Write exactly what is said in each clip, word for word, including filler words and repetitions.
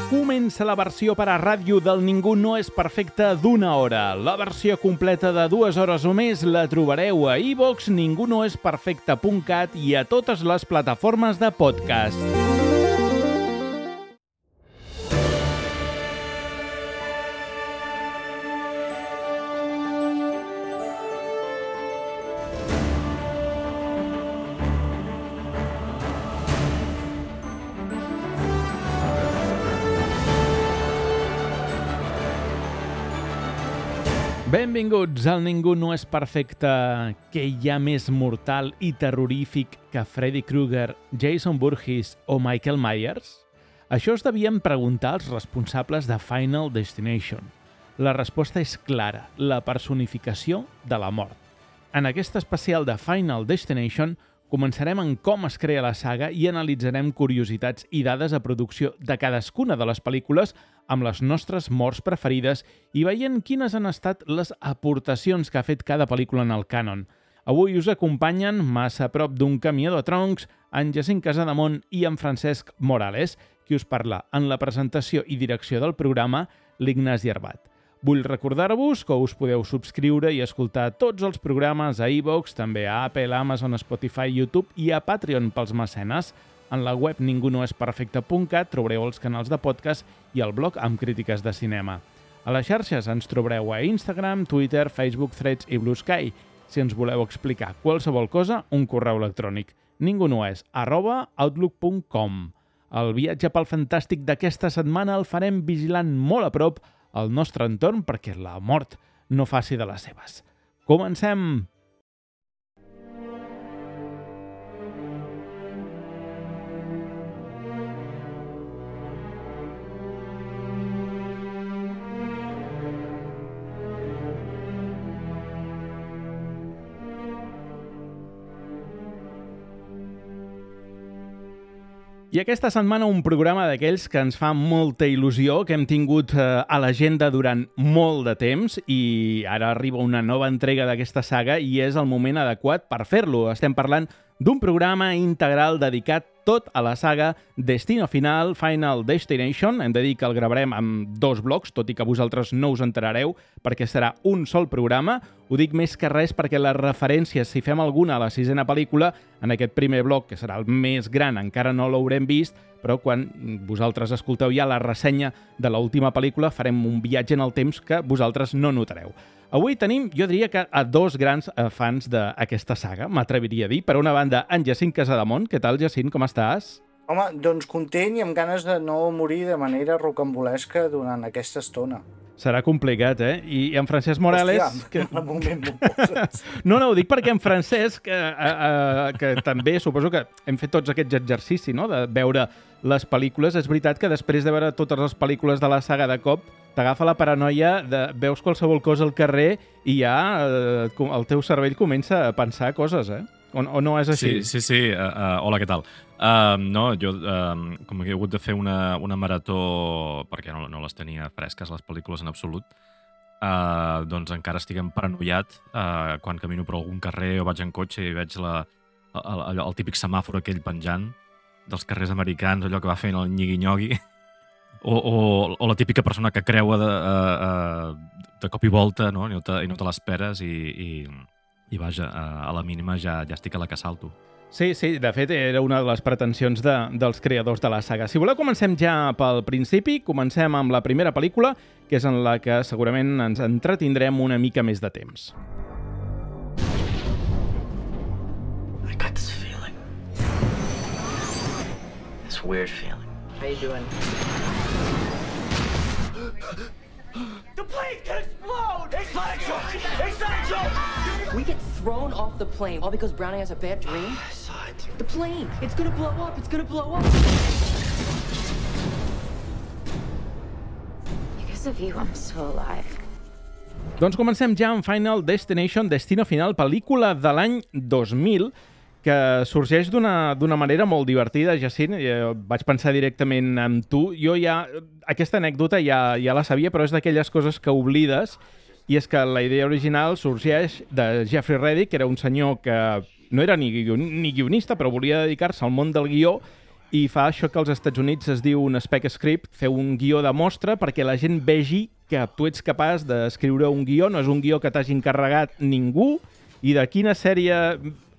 Comença la versió per a ràdio del Ningú no és perfecte d'una hora. La versió completa de dues hores o més la trobareu a iVox, ningú no és perfecte punt cat i a totes les plataformes de podcast. Benvinguts al Ningú no és perfecte. Què hi ha més mortal i terrorífic que Freddy Krueger, Jason Voorhees o Michael Myers? Això es devien preguntar els responsables de Final Destination. La resposta és clara, la personificació de la mort. En aquest especial de Final Destination començarem en com es crea la saga i analitzarem curiositats i dades de producció de cadascuna de les pel·lícules amb les nostres morts preferides i veient quines han estat les aportacions que ha fet cada pel·lícula en el cànon. Avui us acompanyen, massa a prop d'un camió de troncs, en Jacint Casademont i en Francesc Morales, qui us parla en la presentació i direcció del programa, l'Ignasi Arbat. Vull recordar-vos que us podeu subscriure i escoltar tots els programes a iVox, també a Apple, Amazon, Spotify, YouTube i a Patreon pels mecenes. En la web ningú no és perfecte punt cat trobareu els canals de podcast i el blog amb crítiques de cinema. A les xarxes ens trobareu a Instagram, Twitter, Facebook, Threads i Blue Sky. Si ens voleu explicar qualsevol cosa, un correu electrònic ningunoes arroba outlook punt com. El viatge pel fantàstic d'aquesta setmana el farem vigilant molt a prop al nostre entorn perquè la mort no faci de les seves. Comencem! I aquesta setmana un programa d'aquells que ens fa molta il·lusió, que hem tingut eh, a l'agenda durant molt de temps i ara arriba una nova entrega d'aquesta saga i és el moment adequat per fer-lo. Estem parlant d'un programa integral dedicat tot a la saga Destino Final, Final Destination. Hem de dir que el gravarem amb dos blocs, tot i que vosaltres no us enterareu perquè serà un sol programa. Ho dic més que res perquè les referències, si fem alguna a la sisena pel·lícula, en aquest primer bloc, que serà el més gran, encara no l'haurem vist, però quan vosaltres escolteu ja la ressenya de l'última pel·lícula farem un viatge en el temps que vosaltres no notareu. Avui tenim, jo diria que a dos grans fans d'aquesta saga, m'atreviria a dir. Per una banda, en Jacint Casademont. Què tal, Jacint? Com estàs? Home, doncs content i amb ganes de no morir de manera rocambolesca durant aquesta estona. Serà complicat, eh? I en Francesc Morales... Hòstia, que... en moment m'ho poses. No, no, ho dic perquè en Francesc, eh, eh, que també suposo que hem fet tots aquests exercicis, no?, de veure les pel·lícules. És veritat que després de veure totes les pel·lícules de la saga de cop, t'agafa la paranoia de veus qualsevol cosa al carrer i ja eh, el teu cervell comença a pensar coses, eh? O, o no és així? Sí, sí, sí. Uh, uh, hola, què tal? Uh, no, jo, uh, com que he hagut de fer una, una marató, perquè no, no les tenia fresques, les pel·lícules en absolut, uh, doncs encara estic paranoiat uh, quan camino per algun carrer o vaig en cotxe i veig la, el, el, el típic semàfor aquell penjant dels carrers americans, allò que va fent el nyigui-nyogui, o, o, o la típica persona que creua de, uh, uh, de cop i volta, no? I no te, i no te l'esperes i... i I vaja, a la mínima ja, ja estic a la que salto. Sí, sí, de fet era una de les pretensions de, dels creadors de la saga. Si voleu comencem ja pel principi, comencem amb la primera pel·lícula, que és en la que segurament ens entretindrem una mica més de temps. I got this feeling. This weird feeling. How you doing? The plane can explode! It's not a joke! It's not a joke! We get thrown off the plane all because Brownie has a bad dream? I saw it. The plane! It's gonna blow up! It's gonna blow up! Because of you, I'm still alive. Doncs comencem ja amb Final Destination, Destino Final, pel·lícula de l'any dos mil, que sorgeix d'una d'una manera molt divertida, Jacint. Eh, vaig pensar directament en tu. Jo ja... Aquesta anècdota ja, ja la sabia, però és d'aquelles coses que oblides, i és que la idea original sorgeix de Jeffrey Reddick, que era un senyor que no era ni, guion, ni guionista, però volia dedicar-se al món del guió, i fa això que als Estats Units es diu un spec script, fer un guió de mostra perquè la gent vegi que tu ets capaç d'escriure un guió, no és un guió que t'hagi encarregat ningú, i de quina sèrie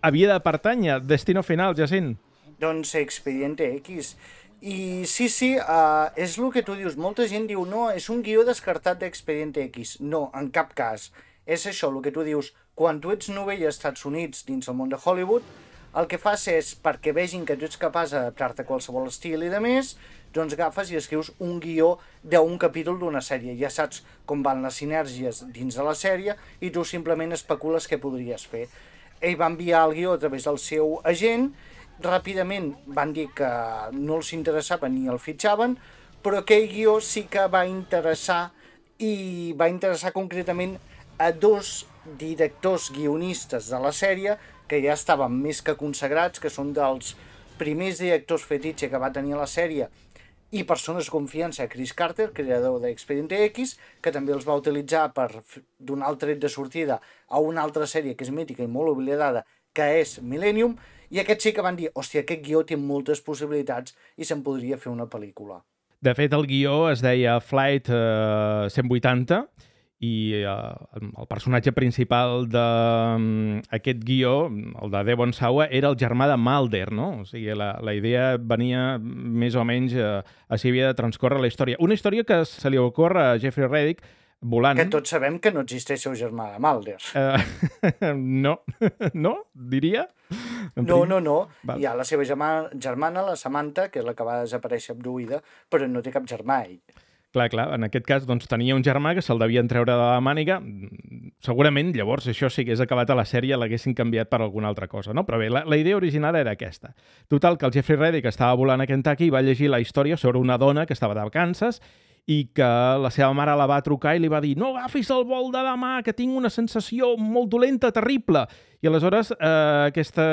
havia de pertànyer Destino Final, Jacint? Doncs Expediente X. I sí, sí, uh, és el que tu dius. Molta gent diu, no, és un guió descartat d'Expediente X. No, en cap cas. És això, el que tu dius. Quan tu ets novell als Estats Units dins el món de Hollywood, el que fas és, perquè vegin que tu ets capaç d'adaptar-te a qualsevol estil i de més, doncs agafes i escrius un guió d'un capítol d'una sèrie. Ja saps com van les sinergies dins de la sèrie i tu simplement especules què podries fer. Ell va enviar el guió a través del seu agent, ràpidament van dir que no els interessava ni el fitxaven, però aquell guió sí que va interessar i va interessar concretament a dos directors guionistes de la sèrie que ja estaven més que consagrats, que són dels primers directors fetitxe que va tenir la sèrie i persones de confiança, Chris Carter, creador d'Expediente X, que també els va utilitzar per donar el tret de sortida a una altra sèrie que és mítica i molt oblidada, que és Millennium, i aquests sí que van dir, hòstia, aquest guió té moltes possibilitats i se'n podria fer una pel·lícula. De fet, el guió es deia Flight eh, cent vuitanta i eh, el personatge principal d'aquest guió, el de Devon Sawa, era el germà de Mulder, no? O sigui, la, la idea venia més o menys a, a si havia de transcórrer la història. Una història que se li ocorre a Jeffrey Reddick volant. Que tots sabem que no existeix el germà de Mulder. Uh, no, no, diria? No, no, no. Val. Hi ha la seva germana, germana, la Samantha, que és la que va desaparèixer abduïda, però no té cap germà, ell. Clar, clar, en aquest cas doncs, tenia un germà que se'l devien treure de la màniga. Segurament, llavors, això si hagués acabat a la sèrie l'haguessin canviat per alguna altra cosa, no? Però bé, la, la idea original era aquesta. Total, que el Jeffrey Reddick estava volant a Kentucky i va llegir la història sobre una dona que estava de vacances i que la seva mare la va trucar i li va dir no agafis el vol de demà, que tinc una sensació molt dolenta, terrible. I aleshores eh, aquesta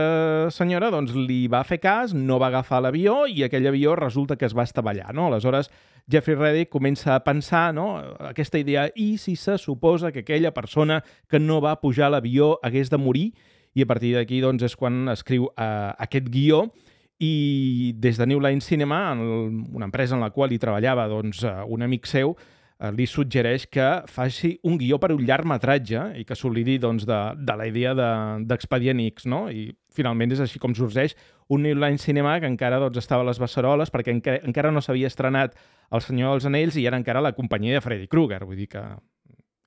senyora doncs, li va fer cas, no va agafar l'avió i aquell avió resulta que es va estavellar. No? Aleshores Jeffrey Reddick comença a pensar, no? Aquesta idea, i si se suposa que aquella persona que no va pujar a l'avió hagués de morir, i a partir d'aquí doncs, és quan escriu eh, aquest guió. I des de New Line Cinema, una empresa en la qual hi treballava doncs, un amic seu, li suggereix que faci un guió per un llargmetratge i que s'oblidi doncs, de, de la idea d'Expedient de, X, no? I finalment és així com sorgeix un New Line Cinema que encara doncs, estava a les beceroles perquè encara, encara no s'havia estrenat El Senyor dels Anells i era encara la companyia de Freddy Krueger, vull dir que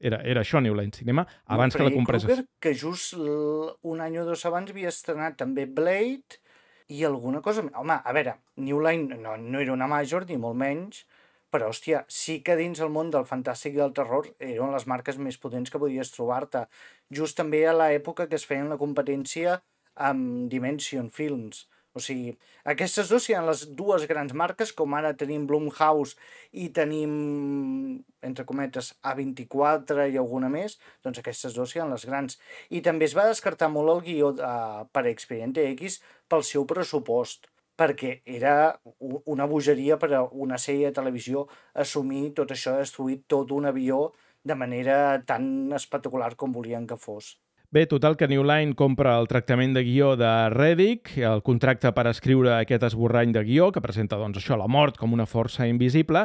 era, era això New Line Cinema abans no, que la comprés. Krueger, que just un any o dos abans havia estrenat també Blade i alguna cosa... Home, a veure, New Line no, no era una major, ni molt menys, però, hòstia, sí que dins el món del fantàstic i del terror eren les marques més potents que podies trobar-te. Just també a l'època que es feien la competència amb Dimension Films. O sigui, aquestes dues seran les dues grans marques, com ara tenim Blumhouse i tenim, entre cometes, A vint-i-quatre i alguna més, doncs aquestes dues seran les grans. I també es va descartar molt el guió uh, per Expediente X pel seu pressupost, perquè era una bogeria per a una sèrie de televisió assumir tot això de destruir tot un avió de manera tan espectacular com volien que fos. Bé, total que New Line compra el tractament de guió de Reddick, el contracte per escriure aquest esborrany de guió, que presenta doncs, això, la mort com una força invisible,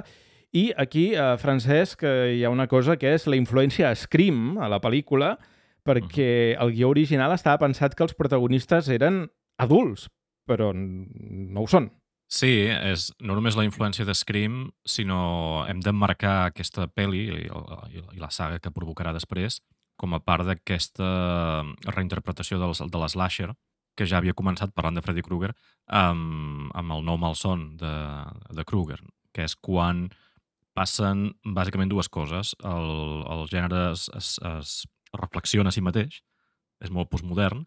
i aquí, eh, Francesc, hi ha una cosa que és la influència Scream a la pel·lícula, perquè el guió original estava pensat que els protagonistes eren adults, però no ho són. Sí, és no només la influència de Scream, sinó hem d'emmarcar aquesta pel·li i, i la saga que provocarà després com a part d'aquesta reinterpretació de l'slasher, que ja havia començat parlant de Freddy Krueger, amb, amb el nou malson de, de Krueger, que és quan passen bàsicament dues coses. El, el gènere es, es, es reflexiona a si mateix, és molt postmodern,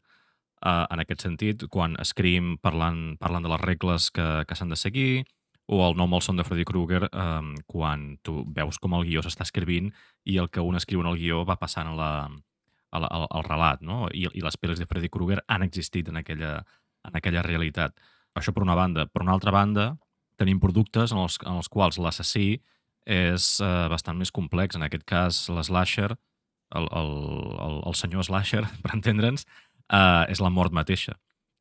eh, en aquest sentit, quan Scream parlant, parlant de les regles que, que s'han de seguir, o el nou malson de Freddy Krueger, eh, quan tu veus com el guió s'està escrivint i el que un escriu en el guió va passant a la, a la, al, al relat, no? I, i les pel·lis de Freddy Krueger han existit en aquella, en aquella realitat. Això per una banda. Per una altra banda, tenim productes en els, en els quals l'assassí és eh, bastant més complex. En aquest cas, l'slasher, el, el, el, el senyor slasher, per entendre'ns, eh, és la mort mateixa.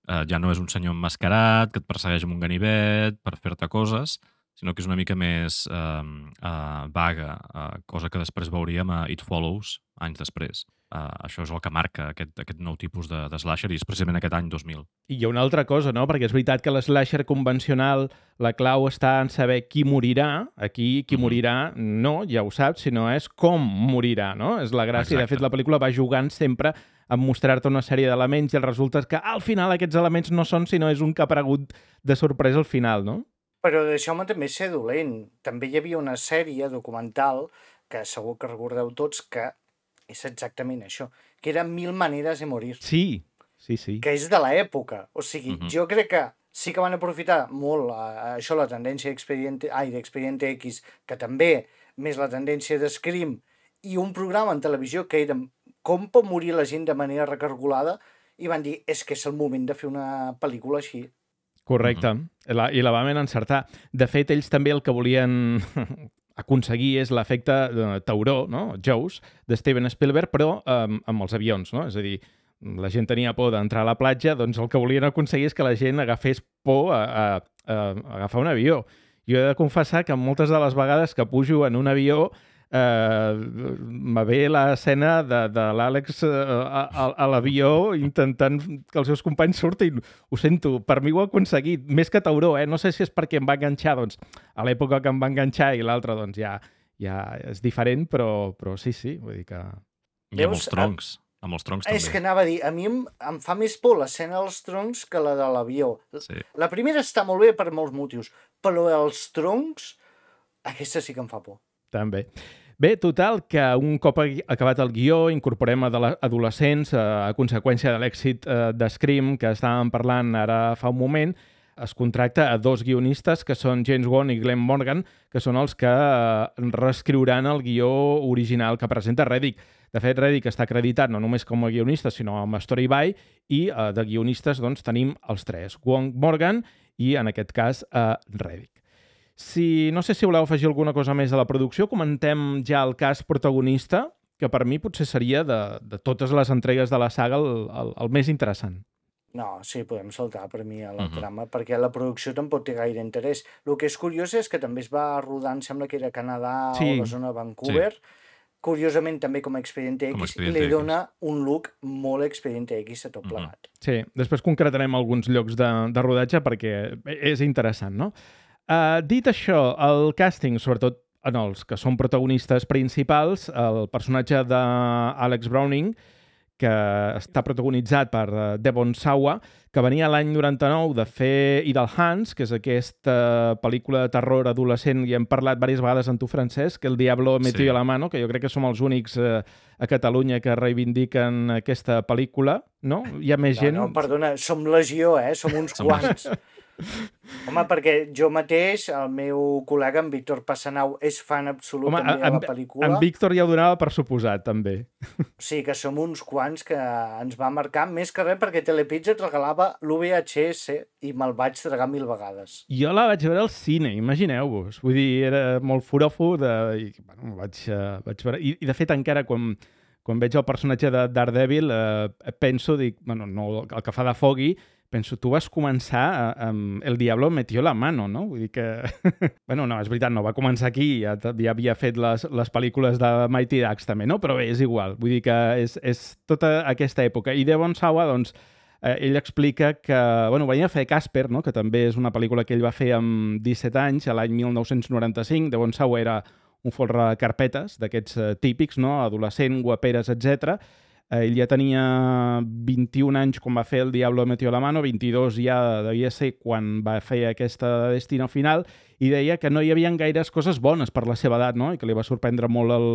eh, ja no és un senyor emmascarat que et persegueix amb un ganivet per fer-te coses, sinó que és una mica més eh, eh, vaga, eh, cosa que després veuríem a It Follows anys després. Uh, això és el que marca aquest, aquest nou tipus de, de slasher i és precisament aquest any dos mil. I hi ha una altra cosa, no? Perquè és veritat que l'slasher convencional, la clau està en saber qui morirà. Aquí qui Mhm. morirà no, ja ho saps, sinó és com morirà, no? És la gràcia. De Exacte. fet, la pel·lícula va jugant sempre a mostrar-te una sèrie d'elements i el resulta és que al final aquests elements no són, sinó és un que ha aparegut de sorpresa al final, no? Però deixeu-me també ser dolent. També hi havia una sèrie documental que segur que recordeu tots que és exactament això, que era Mil maneres de morir, Sí, sí, sí. que és de l'època. O sigui, Mhm. jo crec que sí que van aprofitar molt eh, això, la tendència d'Expediente, ai, d'Expediente X, que també, més la tendència de Scream, i un programa en televisió que era com pot morir la gent de manera recargolada, i van dir, és que és el moment de fer una pel·lícula així. Correcte. La, I la vam encertar. De fet, ells també el que volien aconseguir és l'efecte de tauró, no? Jaws, de Steven Spielberg, però um, amb els avions, no? És a dir, la gent tenia por d'entrar a la platja, doncs el que volien aconseguir és que la gent agafés por a, a, a agafar un avió. Jo he de confessar que moltes de les vegades que pujo en un avió eh, me ve l'escena de, de l'Àlex eh, a, a, a l'avió intentant que els seus companys surtin. Ho sento, per mi ho ha aconseguit. Més que tauró, eh? No sé si és perquè em va enganxar, doncs, a l'època que em va enganxar i l'altre, doncs, ja, ja és diferent, però, però sí, sí, vull dir que... I amb Veus? els troncs. Amb els troncs també. És que anava a dir, a mi em, em fa més por l'escena dels troncs que la de l'avió. Sí. La primera està molt bé per molts motius, però els troncs, aquesta sí que em fa por. També. Bé, total, que un cop acabat el guió incorporem a adolescents a, a conseqüència de l'èxit eh, de Scream que estàvem parlant ara fa un moment. Es contracta a dos guionistes que són James Wan i Glenn Morgan, que són els que eh, reescriuran el guió original que presenta Reddick. De fet, Reddick està acreditat no només com a guionista, sinó amb Story By, i eh, de guionistes doncs, tenim els tres, Wan, Morgan i, en aquest cas, eh, Reddick. Si, no sé si voleu afegir alguna cosa més de la producció, comentem ja el cas protagonista, que per mi potser seria de, de totes les entregues de la saga el, el, el més interessant. No, sí, podem saltar per mi a la Mhm. trama, perquè la producció tampoc té gaire interès. El que és curiós és que també es va rodar, em sembla que era a Canadà Sí. o la zona de Vancouver, curiosament també com a Expediente Com a X, Expediente i li X. dona un look molt Expediente X a tot Mhm. plegat. Sí, després concretarem alguns llocs de, de rodatge perquè és interessant, no? Uh, dit això, el càsting, sobretot en els que són protagonistes principals, el personatge d'Alex Browning, que està protagonitzat per uh, Devon Sawa, que venia l'any noranta-nou de fer Idle Hands, que és aquesta pel·lícula de terror adolescent, i hem parlat diverses vegades amb tu, Francesc, que El Diablo metió Sí. a la mano, que jo crec que som els únics uh, a Catalunya que reivindiquen aquesta pel·lícula, no? Hi ha més No, gent... no, perdona, som legió, eh? Som uns Som quants. Home, perquè jo mateix, el meu col·lega, en Víctor Passanau, és fan absolut Home, també de en, la pel·lícula. en Víctor ja ho donava per suposat, també. Sí, que som uns quants que ens va marcar, més que res perquè Telepizza et regalava l'U V H S i me'l vaig tragar mil vegades. Jo la vaig veure al cine, imagineu-vos. Vull dir, era molt forofo de... I, bueno, vaig, uh, vaig veure... I, I, de fet, encara quan, quan veig el personatge de Daredevil, uh, penso, dic, bueno, no, el que fa de Foggy, penso, tu vas començar amb El Diablo metió la mano, no? Vull dir que... bueno, no, és veritat, no va començar aquí, ja, ja havia fet les, les pel·lícules de Mighty Ducks també, no? Però bé, és igual, vull dir que és, és tota aquesta època. I Devon Sawa, doncs, eh, ell explica que, bueno, venia a fer Casper, no? Que també és una pel·lícula que ell va fer amb disset anys, a l'any mil nou-cents noranta-cinc. Devon Sawa era un folre carpetes d'aquests eh, típics, no? Adolescent, guaperes, etcètera. Ell ja tenia vint-i-un anys quan va fer El Diablo metió la mano, vint-i-dos ja devia ser quan va fer aquesta Destino Final, i deia que no hi havia gaires coses bones per la seva edat, no? I que li va sorprendre molt el,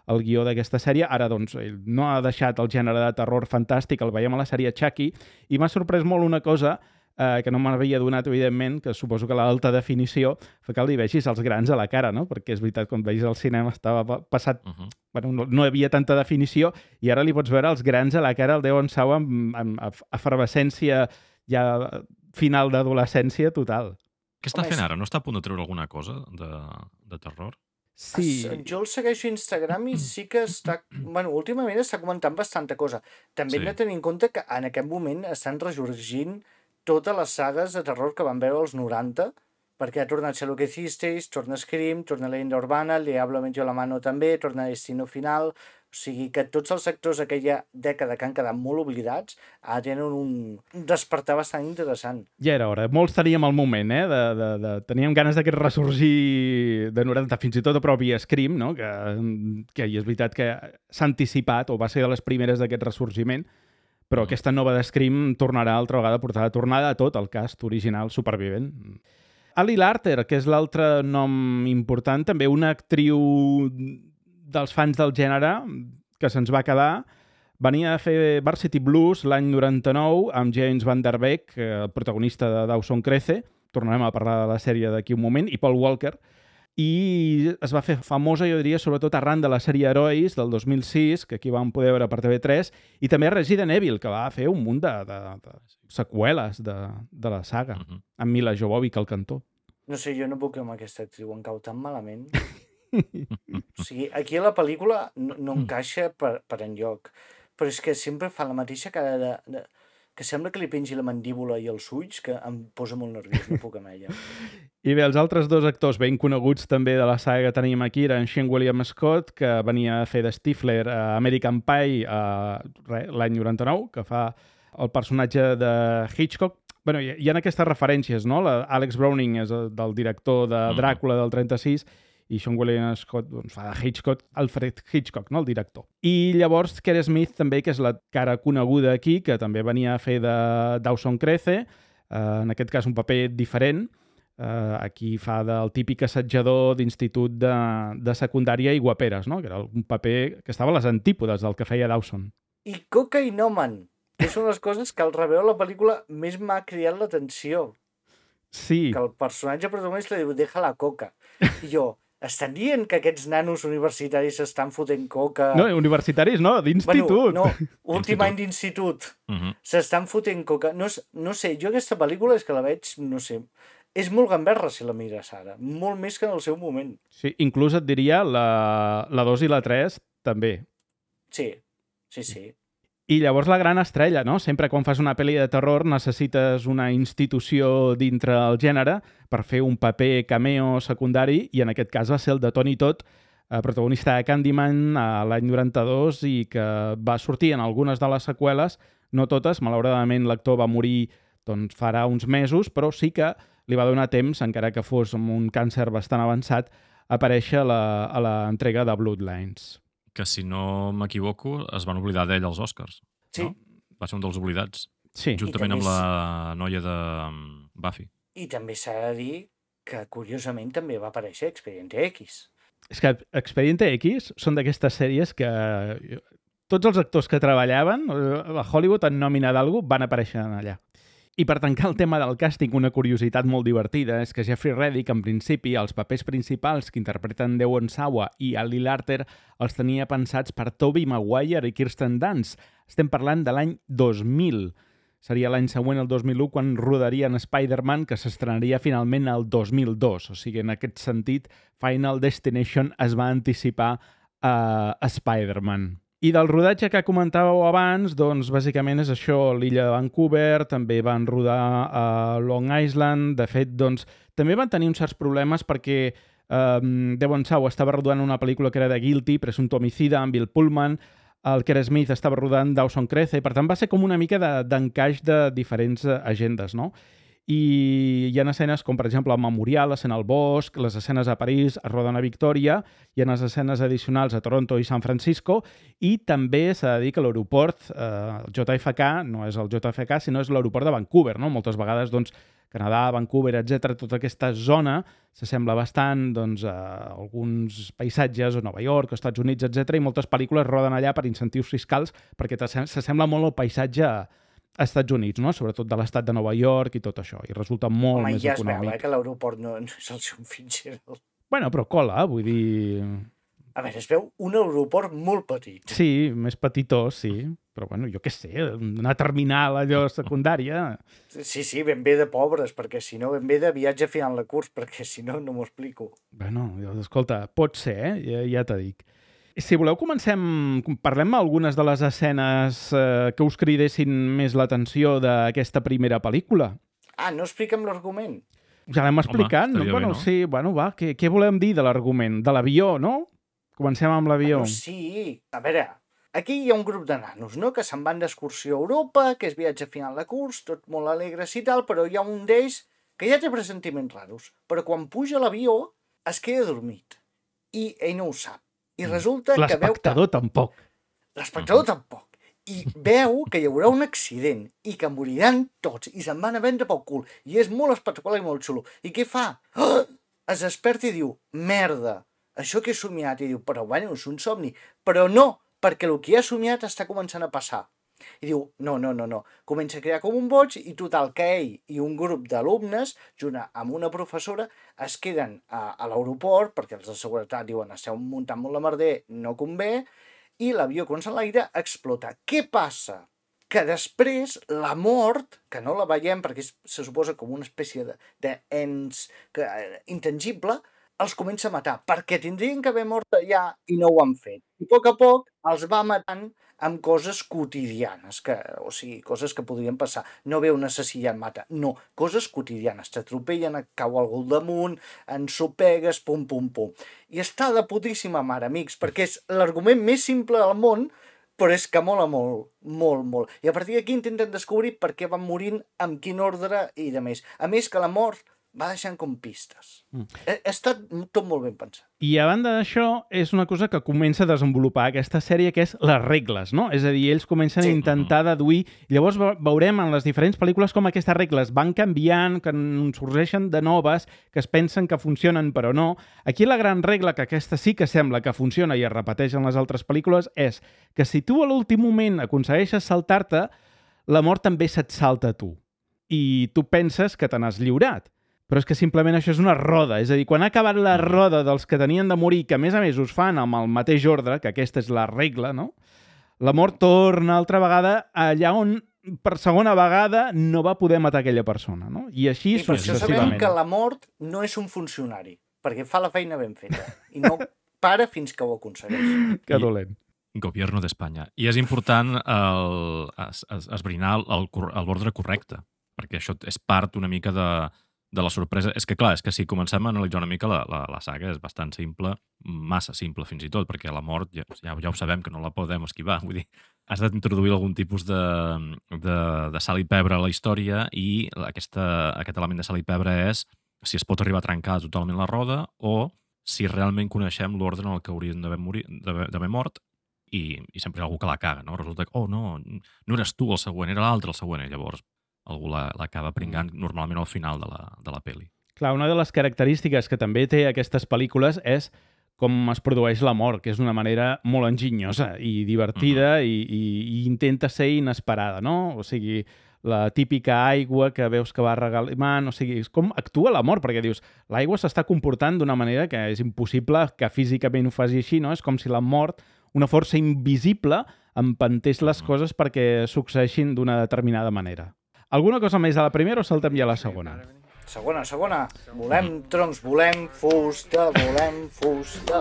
el guió d'aquesta sèrie. Ara, doncs, ell no ha deixat el gènere de terror fantàstic, el veiem a la sèrie Chucky, i m'ha sorprès molt una cosa eh, que no m'havia donat, evidentment, que suposo que l'alta definició fa que li vegis els grans a la cara, no? Perquè és veritat, quan veis al cinema estava passat... Uh -huh. Bueno, no, no hi havia tanta definició, i ara li pots veure els grans a la cara al Devon Sawa amb, amb efervescència ja final d'adolescència total. Què està Home, fent és- ara? No està a punt de treure alguna cosa de, de terror? Sí, Es- Jo el segueixo a Instagram i sí que està... Bueno, últimament està comentant bastanta cosa. També Sí. hem de tenir en compte que en aquest moment estan ressorgint totes les sagues de terror que van veure als noranta, perquè ha tornat Ser lo que hicisteis, torna Scream, torna Leyenda Urbana, El Diablo metió la mano també, torna Destino Final, o sigui que tots els actors d'aquella dècada que han quedat molt oblidats ara tenen un despertar bastant interessant. Ja era hora. Molts teníem el moment, eh? De, de, de... Teníem ganes d'aquest ressorgir de noranta, fins i tot a propi Scream, no? Que, que és veritat que s'ha anticipat, o va ser de les primeres d'aquest ressorgiment, però aquesta nova de Scream tornarà altra vegada a portar la tornada a tot el cast original supervivent. Ali Larter, que és l'altre nom important, també una actriu dels fans del gènere que se'ns va quedar, venia a fer Varsity Blues l'any noranta-nou amb James Van Der Beek, el protagonista de Dawson Crece, tornarem a parlar de la sèrie d'aquí un moment, i Paul Walker, i es va fer famosa, jo diria, sobretot arran de la sèrie Herois del dos mil sis, que aquí vam poder veure per T V tres, i també Resident Evil, que va fer un munt de, de, de seqüeles de, de la saga, uh-huh. amb Mila Jovovich al cantó. No sé, jo no puc amb aquesta actriu, em cau tan malament. O sigui, aquí a la pel·lícula no, no encaixa per, per enlloc, però és que sempre fa la mateixa cara de, de... que sembla que li pengi la mandíbula i els ulls, que em posa molt nerviós, no puc amb ella. I bé, els altres dos actors ben coneguts també de la saga que tenim aquí eren Sean William Scott, que venia a fer de Stifler a American Pie l'any noranta-nou, que fa el personatge de Hitchcock. Bueno, hi ha aquestes referències, no? Alex Browning és del director de Dràcula del trenta-sis i Sean William Scott doncs, fa de Hitchcock, Alfred Hitchcock, no? El director. I llavors Keri Smith també, que és la cara coneguda aquí, que també venia a fer de Dawson Crece, eh, en aquest cas un paper diferent. Eh, aquí fa del típic assetjador d'institut de, de secundària i guaperes, no? Que era un paper que estava a les antípodes del que feia Dawson. I cocaïnoman, que són les coses que al reveure la pel·lícula més m'ha cridat l'atenció. Sí. Que el personatge protagonista diu, deja la coca. I jo, estan dient que aquests nanos universitaris s'estan fotent coca... No, universitaris no, d'institut. Bueno, no, últim any d'institut. Uh-huh. S'estan fotent coca. No, no sé, jo aquesta pel·lícula és que la veig, no sé... És molt gamberra si la mires ara. Molt més que en el seu moment. Sí, inclús et diria la, la dos i la tres també. Sí, sí, sí. I llavors la gran estrella, no? Sempre quan fas una pel·li de terror necessites una institució dintre el gènere per fer un paper cameo secundari, i en aquest cas va ser el de Tony Todd, protagonista de Candyman a l'any noranta-dos i que va sortir en algunes de les seqüeles, no totes, malauradament l'actor va morir doncs, farà uns mesos, però sí que li va donar temps, encara que fos amb un càncer bastant avançat, a aparèixer a l'entrega de Bloodlines. Que, si no m'equivoco, es van oblidar d'ell als Oscars. Sí. No? Va ser un dels oblidats. Sí. Juntament amb la noia de Buffy. I també s'ha de dir que, curiosament, també va aparèixer Expediente X. És que Expediente X són d'aquestes sèries que tots els actors que treballaven a Hollywood en nòmina d'algú van aparèixer allà. I per tancar el tema del càsting, una curiositat molt divertida és que Jeffrey Reddick, en principi, els papers principals que interpreten Devon Sawa i Ali Larter els tenia pensats per Tobey Maguire i Kirsten Dunst. Estem parlant de l'any dos mil. Seria l'any següent, el dos mil u, quan rodarien Spider-Man, que s'estrenaria finalment el dos mil dos. O sigui, en aquest sentit, Final Destination es va anticipar a, a Spider-Man. I del rodatge que comentàveu abans, doncs bàsicament és això, l'illa de Vancouver, també van rodar a Long Island, de fet, doncs, també van tenir uns certs problemes perquè eh, Devon Sawa estava rodant una pel·lícula que era de Guilty, Presumpto Homicida, amb Bill Pullman, el Keri Smith estava rodant Dawson Crece, per tant va ser com una mica d'encaix de, de diferents agendes, no? I hi ha escenes com, per exemple, el Memorial, l'escena al bosc, les escenes a París, es roden a Victòria, hi ha les escenes addicionals a Toronto i San Francisco, i també s'ha de dir que l'aeroport, eh, el J F K, no és el J F K, sinó és l'aeroport de Vancouver, no? Moltes vegades, doncs, Canadà, Vancouver, etcètera, tota aquesta zona s'assembla bastant doncs, a alguns paisatges, a Nova York, als Estats Units, etcètera, i moltes pel·lícules roden allà per incentius fiscals perquè s'assembla molt al paisatge a Estats Units, no? Sobretot de l'estat de Nova York i tot això, i resulta molt Home, més ja es econòmic. veu, eh, que l'aeroport no, no és el John Fitzgerald. Bueno, però cola, vull dir... A veure, es veu un aeroport molt petit. Sí, més petitós, sí, però bueno, jo què sé, una terminal allò secundària... Sí, sí, ben bé de pobres, perquè si no, ben bé de viatge final de curs, perquè si no, no m'ho explico. Bueno, escolta, pot ser, eh? Ja, ja t'ho dic. Si voleu, comencem... Parlem algunes de les escenes eh, que us cridessin més l'atenció d'aquesta primera pel·lícula. Ah, no expliquem l'argument? Ja l'hem explicat. Home, no? bé, Bueno, no? sí, bueno, va, què, què volem dir de l'argument? De l'avió, no? Comencem amb l'avió. Bueno, sí, a veure, aquí hi ha un grup de nanos, no?, que se'n van d'excursió a Europa, que és viatge a final de curs, tot molt alegres i tal, però hi ha un d'ells que ja té pressentiments raros, però quan puja a l'avió es queda dormit, i ell no ho sap. I resulta que veu que... L'espectador tampoc. L'espectador tampoc. I veu que hi haurà un accident i que moriran tots i se'n van a vendre pel cul. I és molt espectacular i molt xulo. I què fa? Oh! Es desperta i diu, merda, això que he somiat. I diu, però bueno, és un somni. Però no, perquè el que ha somiat està començant a passar. I diu, no, no, no, no. Comença a crear com un boig i total que ell i un grup d'alumnes, junt amb una professora, es queden a, a l'aeroport, perquè els de seguretat diuen, esteu muntant molt la merder, no convé, i l'avió, quan s'enlaira, explota. Què passa? Que després la mort, que no la veiem perquè és, se suposa com una espècie d'ens intangible, els comença a matar, perquè tindrien que haver mort allà i no ho han fet. I a poc a poc els va matant amb coses quotidianes, que, o sigui, coses que podrien passar. No ve un assassí i et mata, no, coses quotidianes. T'atropellen, et cau algú al damunt, ensopegues, pum, pum, pum. I està de putíssima mare, amics, perquè és l'argument més simple del món, però és que mola molt, molt, molt. I a partir d'aquí intenten descobrir per què van morint, amb quin ordre i de més. A més que la mort va deixant com pistes. Mm. Ha, ha estat tot molt ben pensat. I a banda d'això, és una cosa que comença a desenvolupar aquesta sèrie, que és les regles, no? És a dir, ells comencen sí. a intentar deduir... Llavors veurem en les diferents pel·lícules com aquestes regles van canviant, que sorgeixen de noves, que es pensen que funcionen però no. Aquí la gran regla, que aquesta sí que sembla que funciona i es repeteix en les altres pel·lícules, és que si tu a l'últim moment aconsegueixes saltar-te, la mort també se't salta a tu. I tu penses que te n'has lliurat. Però és que simplement això és una roda. És a dir, quan ha acabat la roda dels que tenien de morir, que a més a més us fan amb el mateix ordre, que aquesta és la regla, no? La mort torna altra vegada allà on per segona vegada no va poder matar aquella persona, no? I així I per això sabem que la mort no és un funcionari, perquè fa la feina ben feta i no para fins que ho aconsegueix. Que dolent. Gobierno d'Espanya. I és important el, es, es, esbrinar l'ordre correcte, perquè això és part una mica de de la sorpresa. És que, clar, és que si comencem a analitzar una mica la, la, la saga és bastant simple, massa simple fins i tot, perquè la mort ja, ja, ja ho sabem que no la podem esquivar. Vull dir, has d'introduir algun tipus de, de, de sal i pebre a la història i aquesta, aquest element de sal i pebre és si es pot arribar a trencar totalment la roda o si realment coneixem l'ordre en el que haurien d'haver mort i, i sempre hi ha algú que la caga, no? Resulta que, oh, no, no eres tu el següent, era l'altre el següent, i llavors algú l'acaba pringant normalment al final de la, de la pel·li. Clar, una de les característiques que també té aquestes pel·lícules és com es produeix la mort, que és d'una manera molt enginyosa i divertida uh-huh. i, i, i intenta ser inesperada, no? O sigui, la típica aigua que veus que va regalimant, o sigui, és com actua la mort, perquè dius, l'aigua s'està comportant d'una manera que és impossible que físicament ho faci així, no? És com si la mort, una força invisible, empentés les uh-huh. coses perquè succeeixin d'una determinada manera. Alguna cosa més a la primera o saltem ja a la segona? Segona, segona. Volem troncs, volem fusta, volem fusta.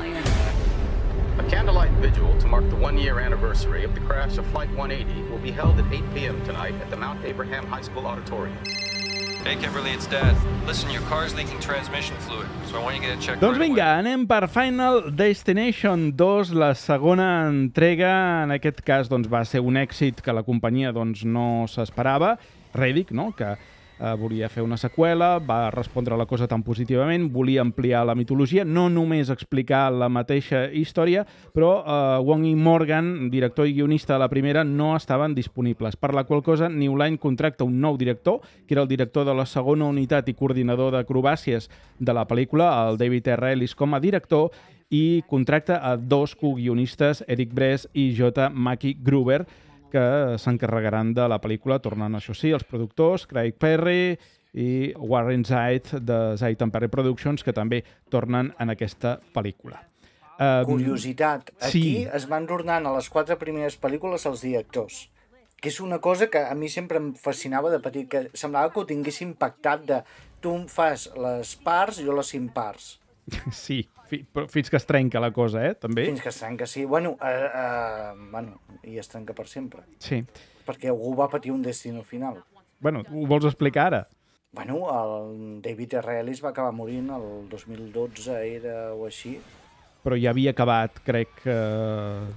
A candlelight vigil to mark the one-year anniversary of the crash of Flight one eighty will be held at eight p.m. tonight at the Mount Abraham High School Auditorium. Hey, Kimberly, it's Dad. Listen, your car's leaking transmission fluid, so I want you to get it checked Doncs right vinga, away. anem per Final Destination dos, la segona entrega. En aquest cas doncs, va ser un èxit que la companyia doncs, no s'esperava. Riddick, no? que eh, volia fer una seqüela, va respondre a la cosa tan positivament, volia ampliar la mitologia, no només explicar la mateixa història, però eh, Wong i Morgan, director i guionista de la primera, no estaven disponibles, per la qual cosa New Line contracta un nou director, que era el director de la segona unitat i coordinador d'acrobàcies de la pel·lícula, el David R. Ellis, com a director, i contracta a dos co-guionistes, Eric Bress i J. Mackie Gruber, que s'encarregaran de la pel·lícula, tornant, això sí, els productors, Craig Perry i Warren Zait, de Zait and Perry Productions, que també tornen en aquesta pel·lícula. Um, Curiositat, aquí sí. es van tornant a les quatre primeres pel·lícules els directors, que és una cosa que a mi sempre em fascinava de petit, que semblava que ho tinguessin pactat de tu em fas les parts, jo les imparts. Sí, fi, però fins que es trenca la cosa, eh, també. Fins que es trenca, sí. Bueno, uh, uh, bueno, i es trenca per sempre. Sí. Perquè algú va patir un destino final. Bueno, ho vols explicar ara? Bueno, el David R. Ellis va acabar morint el dos mil dotze, era o així. Però ja havia acabat, crec, eh,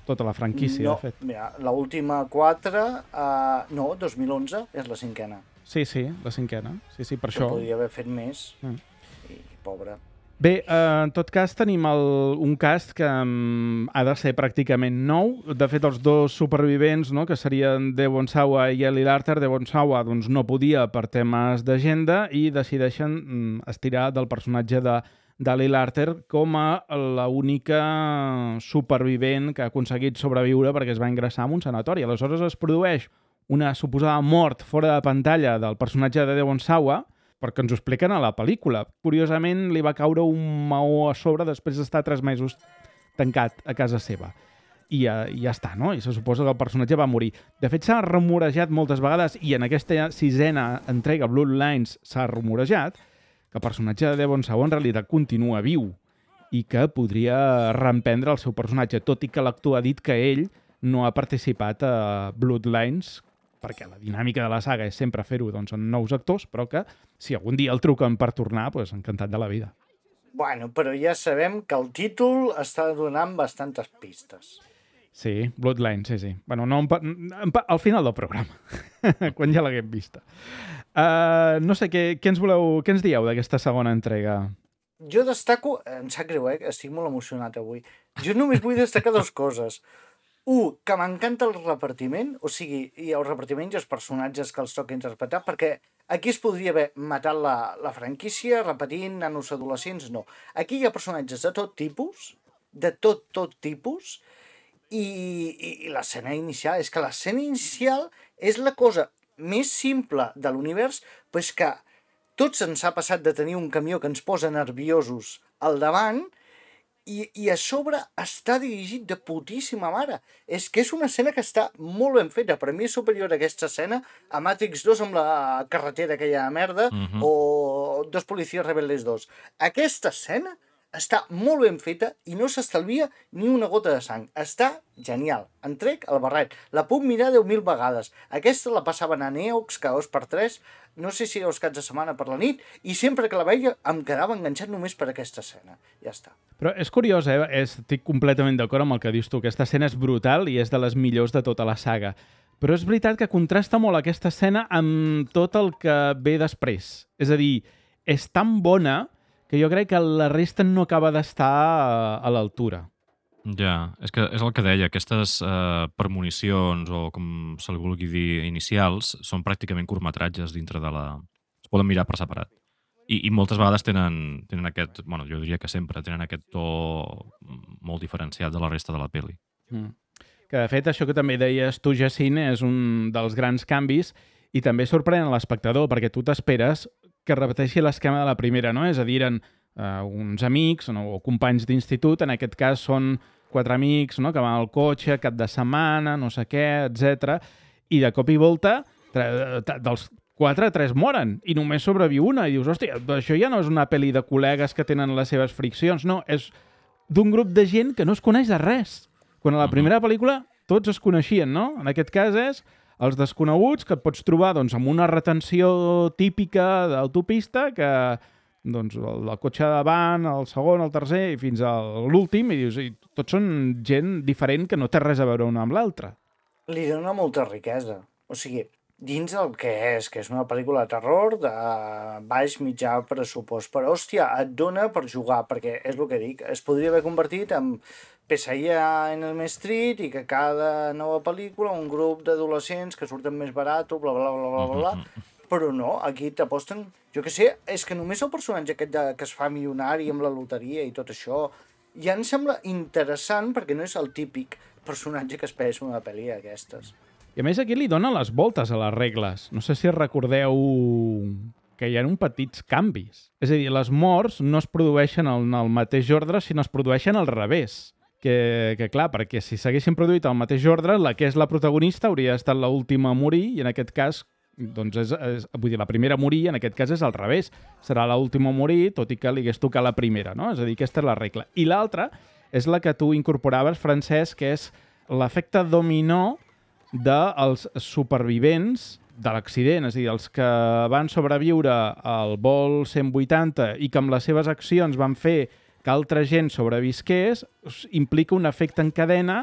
tota la franquícia, no, de fet. Mira, l'última quatre, uh, no, dos mil onze és la cinquena. Sí, sí, la cinquena. Sí, sí, per que això. Podria haver fet més. Mm. I, pobre. Bé, eh, en tot cas tenim el, un cast que um, ha de ser pràcticament nou. De fet, els dos supervivents, no?, que serien Devon Sawa i Ellie Larter, Devon Sawa doncs, no podia per temes d'agenda i decideixen um, estirar del personatge de d'Ellie Larter com a l'única supervivent que ha aconseguit sobreviure perquè es va ingressar en un sanatori. Aleshores es produeix una suposada mort fora de pantalla del personatge de Devon Sawa, perquè ens ho expliquen a la pel·lícula. Curiosament, li va caure un maó a sobre després d'estar tres mesos tancat a casa seva. I ja, i ja està, no? I se suposa que el personatge va morir. De fet, s'ha rumorejat moltes vegades, i en aquesta sisena entrega, Bloodlines, s'ha rumorejat, que el personatge de Devon Sawa en realitat continua viu i que podria reemprendre el seu personatge, tot i que l'actor ha dit que ell no ha participat a Bloodlines, perquè la dinàmica de la saga és sempre fer-ho doncs, amb nous actors, però que si algun dia el truquen per tornar, doncs, encantat de la vida. Bueno, però ja sabem que el títol està donant bastantes pistes. Sí, Bloodlines, sí, sí. Bueno, no, en, en, al final del programa, quan ja l'haguem vista. Uh, no sé, què, què ens voleu, què ens dieu d'aquesta segona entrega? Jo destaco, em sap greu, eh? Estic molt emocionat avui. Jo només vull destacar dues coses. Un, que m'encanta el repartiment, o sigui, i el repartiment i els personatges que els toca interpretar, perquè aquí es podria haver matat la, la franquícia repetint nanos adolescents, no. Aquí hi ha personatges de tot tipus, de tot, tot tipus, i, i, i l'escena inicial, és que l'escena inicial és la cosa més simple de l'univers, però és que tots ens ha passat de tenir un camió que ens posa nerviosos al davant i, i a sobre està dirigit de putíssima mare. És que és una escena que està molt ben feta. Per mi és superior a aquesta escena a Matrix dos amb la carretera aquella merda uh-huh. o Dos policies rebeldes dos. Aquesta escena està molt ben feta i no s'estalvia ni una gota de sang. Està genial. En trec el barret. La puc mirar deu mil vegades. Aquesta la passaven a Neox cada dos per tres, no sé si era els caps de setmana per la nit, i sempre que la veia em quedava enganxat només per aquesta escena. Ja està. Però és curiós, eh? Estic completament d'acord amb el que dius tu. Aquesta escena és brutal i és de les millors de tota la saga. Però és veritat que contrasta molt aquesta escena amb tot el que ve després. És a dir, és tan bona que jo crec que la resta no acaba d'estar a l'altura. Ja, és que és el que deia, aquestes eh, premonicions o com se li vulgui dir inicials són pràcticament curtmetratges dintre de la... Es poden mirar per separat. I, i moltes vegades tenen, tenen aquest, bueno, jo diria que sempre, tenen aquest to molt diferenciat de la resta de la pel·li. Mm. Que de fet això que també deies tu, Jacint, és un dels grans canvis i també sorprèn a l'espectador perquè tu t'esperes que repeteixi l'esquema de la primera, no? És a dir, eren uh, uns amics no? o companys d'institut, en aquest cas són quatre amics, no? Que van al cotxe, cap de setmana, no sé què, etcètera. I de cop i volta, dels quatre, tres moren, i només sobreviu una. I dius, hòstia, això ja no és una pel·li de col·legues que tenen les seves friccions, no, és d'un grup de gent que no es coneix de res. Quan a la primera pel·lícula tots es coneixien, no? En aquest cas és els desconeguts que et pots trobar doncs, amb una retenció típica d'autopista que doncs, el, el cotxe davant, el segon, el tercer i fins a l'últim, i dius, i tots són gent diferent que no té res a veure una amb l'altra. Li dona molta riquesa. O sigui, dins el que és, que és una pel·lícula de terror de baix mitjà pressupost, però hòstia, et dona per jugar, perquè és el que dic, es podria haver convertit en Pesadilla en el Street i que cada nova pel·lícula un grup d'adolescents que surten més barat, bla, bla, bla, bla, bla, bla. Però no, aquí t'aposten... Jo què sé, és que només el personatge aquest de, que es fa milionari amb la loteria i tot això ja em sembla interessant perquè no és el típic personatge que esperes una pel·li d'aquestes. I a més aquí li dona les voltes a les regles. No sé si recordeu que hi ha uns petits canvis. És a dir, les morts no es produeixen en el mateix ordre, sinó es produeixen al revés. Que, que clar, perquè si s'haguessin produït al mateix ordre, la que és la protagonista hauria estat l'última a morir i en aquest cas doncs és, és, vull dir, la primera a morir, en aquest cas és al revés. Serà l'última a morir, tot i que li hagués tocat la primera, no? És a dir, aquesta és la regla. I l'altra és la que tu incorporaves, Francesc, que és l'efecte dominó dels supervivents de l'accident, és a dir, els que van sobreviure al vol cent vuitanta i que amb les seves accions van fer que altra gent sobrevisqués, implica un efecte en cadena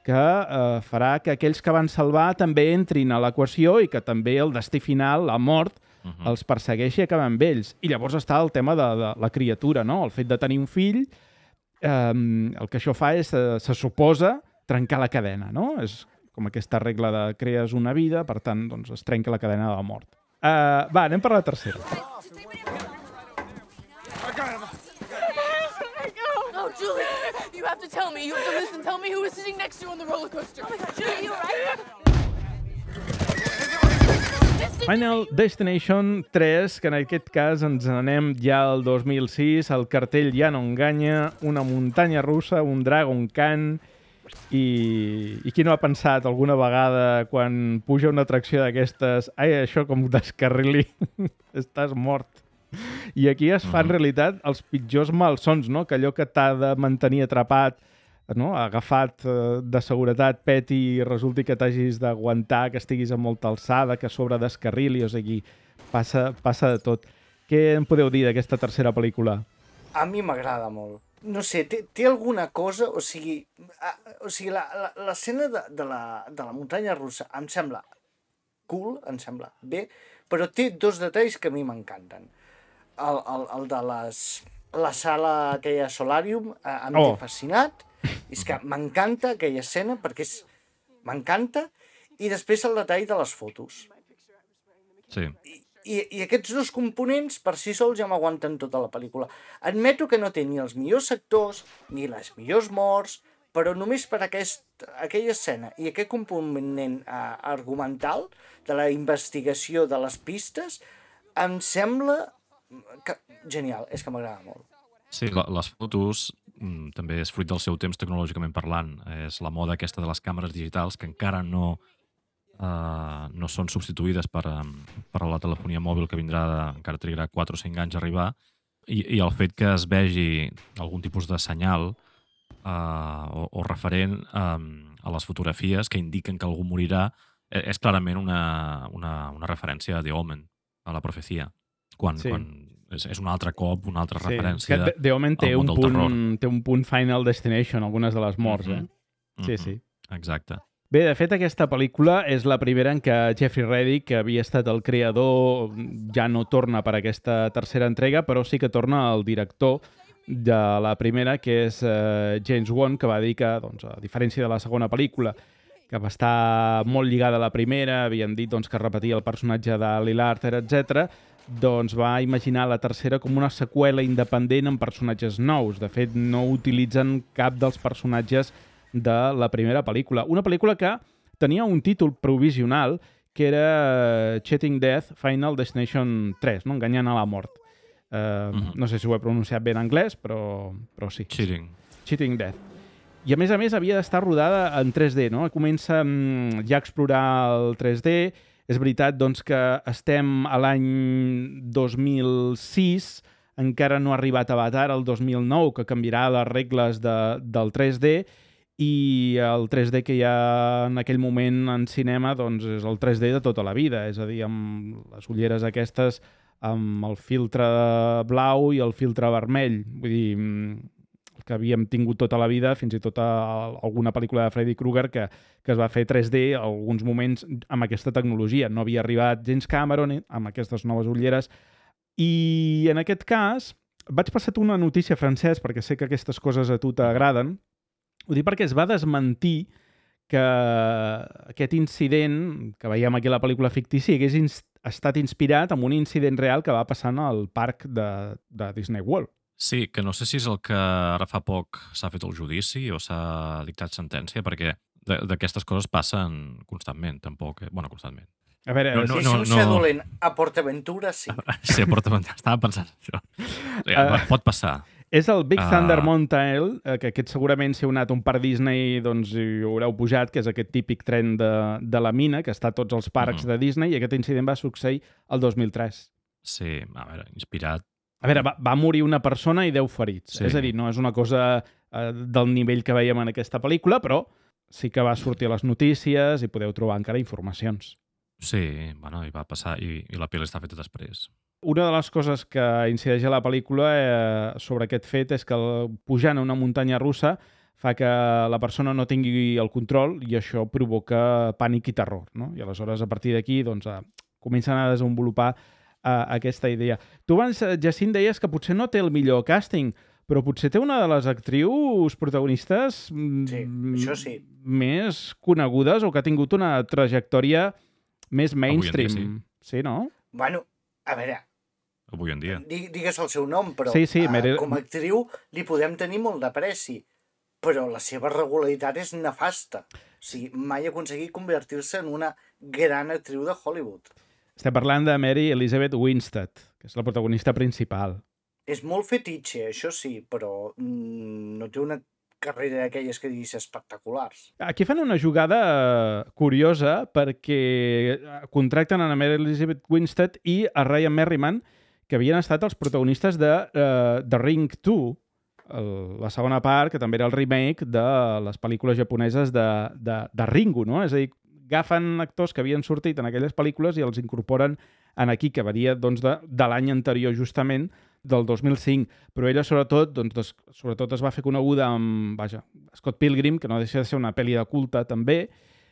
que eh, farà que aquells que van salvar també entrin a l'equació i que també el destí final, la mort, uh-huh. els persegueixi i acabar amb ells. I llavors està el tema de, de la criatura, no? El fet de tenir un fill, eh, el que això fa és, eh, se suposa, trencar la cadena, no? És com aquesta regla de crees una vida, per tant, doncs es trenca la cadena de la mort. Uh, va, anem per la tercera. No, Julie, you have to tell me. You have to listen. Tell me who was sitting next to you on the roller coaster. Oh my God, Julie, you alright? Final Destination tres, que en aquest cas ens anem ja al dos mil sis, el cartell ja no enganya, una muntanya russa, un Dragon Khan, i, i qui no ha pensat alguna vegada quan puja una atracció d'aquestes, ai, això com descarrili, estàs mort. I aquí es fa, en realitat, els pitjors malsons, no? Que allò que t'ha de mantenir atrapat, no? Agafat de seguretat, peti i resulti que t'hagis d'aguantar, que estiguis a molta alçada, que a sobre descarrili, o sigui, passa, passa de tot. Què en podeu dir d'aquesta tercera pel·lícula? A mi m'agrada molt. No sé, té, té alguna cosa, o sigui, a, o sigui l'escena de, de, la, de la muntanya russa em sembla cool, em sembla bé, però té dos detalls que a mi m'encanten. El, el, el de les, la sala aquella Solarium eh, em oh. té fascinat, és que m'encanta aquella escena perquè és, m'encanta, i després el detall de les fotos. Sí. I, i, i aquests dos components per si sols ja m'aguanten tota la pel·lícula. Admeto que no té ni els millors sectors ni les millors morts, però només per aquest, aquella escena i aquest component eh, argumental de la investigació de les pistes em sembla que, genial, és que m'agrada molt. Sí, la, les fotos mm, també és fruit del seu temps tecnològicament parlant. És la moda aquesta de les càmeres digitals que encara no, uh, no són substituïdes per, um, per la telefonia mòbil que vindrà, de, encara trigarà quatre o cinc anys a arribar, i, i el fet que es vegi algun tipus de senyal uh, o, o referent um, a les fotografies que indiquen que algú morirà és clarament una, una, una referència a The Omen, a la profecia. Quan, sí. quan és, és un altre cop, una altra sí. referència The, The Omen té un, punt, té un punt Final Destination, algunes de les morts, mm-hmm. eh? Sí, mm-hmm. sí. Exacte. Bé, de fet, aquesta pel·lícula és la primera en què Jeffrey Reddick, que havia estat el creador, ja no torna per aquesta tercera entrega, però sí que torna el director de la primera, que és uh, James Wan, que va dir que, doncs, a diferència de la segona pel·lícula, que va estar molt lligada a la primera, havien dit doncs, que repetia el personatge de Lil Arthur, etcètera, doncs va imaginar la tercera com una seqüela independent amb personatges nous. De fet, no utilitzen cap dels personatges de la primera pel·lícula. Una pel·lícula que tenia un títol provisional que era Cheating Death Final Destination tres, no? Enganyant a la mort. Uh, uh-huh. No sé si ho he pronunciat bé en anglès, però, però sí. Cheating. Cheating Death. I a més a més havia d'estar rodada en tres D, no? Comença um, ja a explorar el tres D. És veritat doncs, que estem a l'any dos mil sis, encara no ha arribat Avatar, el dos mil nou, que canviarà les regles de, del tres D, i el tres D que hi ha en aquell moment en cinema doncs, és el tres D de tota la vida, és a dir, amb les ulleres aquestes, amb el filtre blau i el filtre vermell. Vull dir, que havíem tingut tota la vida, fins i tot a alguna pel·lícula de Freddy Krueger que, que es va fer tres D a alguns moments amb aquesta tecnologia. No havia arribat James Cameron amb aquestes noves ulleres. I en aquest cas vaig passar-te una notícia, Francesc, perquè sé que aquestes coses a tu t'agraden. Ho dic perquè es va desmentir que aquest incident que veiem aquí a la pel·lícula fictícia hagués ins- estat inspirat en un incident real que va passar al parc de, de Disney World. Sí, que no sé si és el que ara fa poc s'ha fet el judici o s'ha dictat sentència, perquè d'aquestes coses passen constantment, tampoc. Eh? Bueno, constantment. A veure, no, no, si és un no, ser dolent a PortAventura, sí. Sí, a PortAventura. Estava pensant això. O sigui, uh, pot passar. És el Big Ah. Thunder Mountain, eh, que aquest segurament, si heu anat a un parc Disney, doncs hi haureu pujat, que és aquest típic tren de, de la mina, que està a tots els parcs Mhm. de Disney, i aquest incident va succeir el dos mil tres. Sí, a veure, inspirat. A veure, va, va morir una persona i deu ferits. Sí. És a dir, no és una cosa eh, del nivell que veiem en aquesta pel·lícula, però sí que va sortir a les notícies i podeu trobar encara informacions. Sí, bueno, i va passar, i, i la pel·li està feta després. Una de les coses que incideix a la pel·lícula eh, sobre aquest fet és que el, pujant a una muntanya russa fa que la persona no tingui el control i això provoca pànic i terror, no? I aleshores, a partir d'aquí, doncs, eh, comencen a desenvolupar eh, aquesta idea. Tu abans, eh, Jacint, deies que potser no té el millor càsting, però potser té una de les actrius protagonistes mm, Sí, això sí. més conegudes o que ha tingut una trajectòria més Avui en dia, mainstream. Sí, no? Bueno, a veure, Avui en dia. di- digues el seu nom, però Sí, sí, eh, Meryl- com a actriu li podem tenir molt d'apreci, però la seva regularitat és nefasta. O sigui, mai ha aconseguit convertir-se en una gran actriu de Hollywood. Estem parlant de Mary Elizabeth Winstead, que és la protagonista principal. És molt fetitxe, això sí, però mm, no té una carrera d'aquelles que diguis espectaculars. Aquí fan una jugada eh, curiosa perquè eh, contracten a Mary Elizabeth Winstead i a Ryan Merriman, que havien estat els protagonistes de uh, The Ring dos, el, la segona part, que també era el remake de les pel·lícules japoneses de, de, de Ringu, no? És a dir, agafen actors que havien sortit en aquelles pel·lícules i els incorporen en aquí, que varia doncs, de, de l'any anterior justament, del dos mil cinc, però ella sobretot, doncs, des, sobretot es va fer coneguda amb vaja, Scott Pilgrim, que no deixa de ser una pel·li de culte també,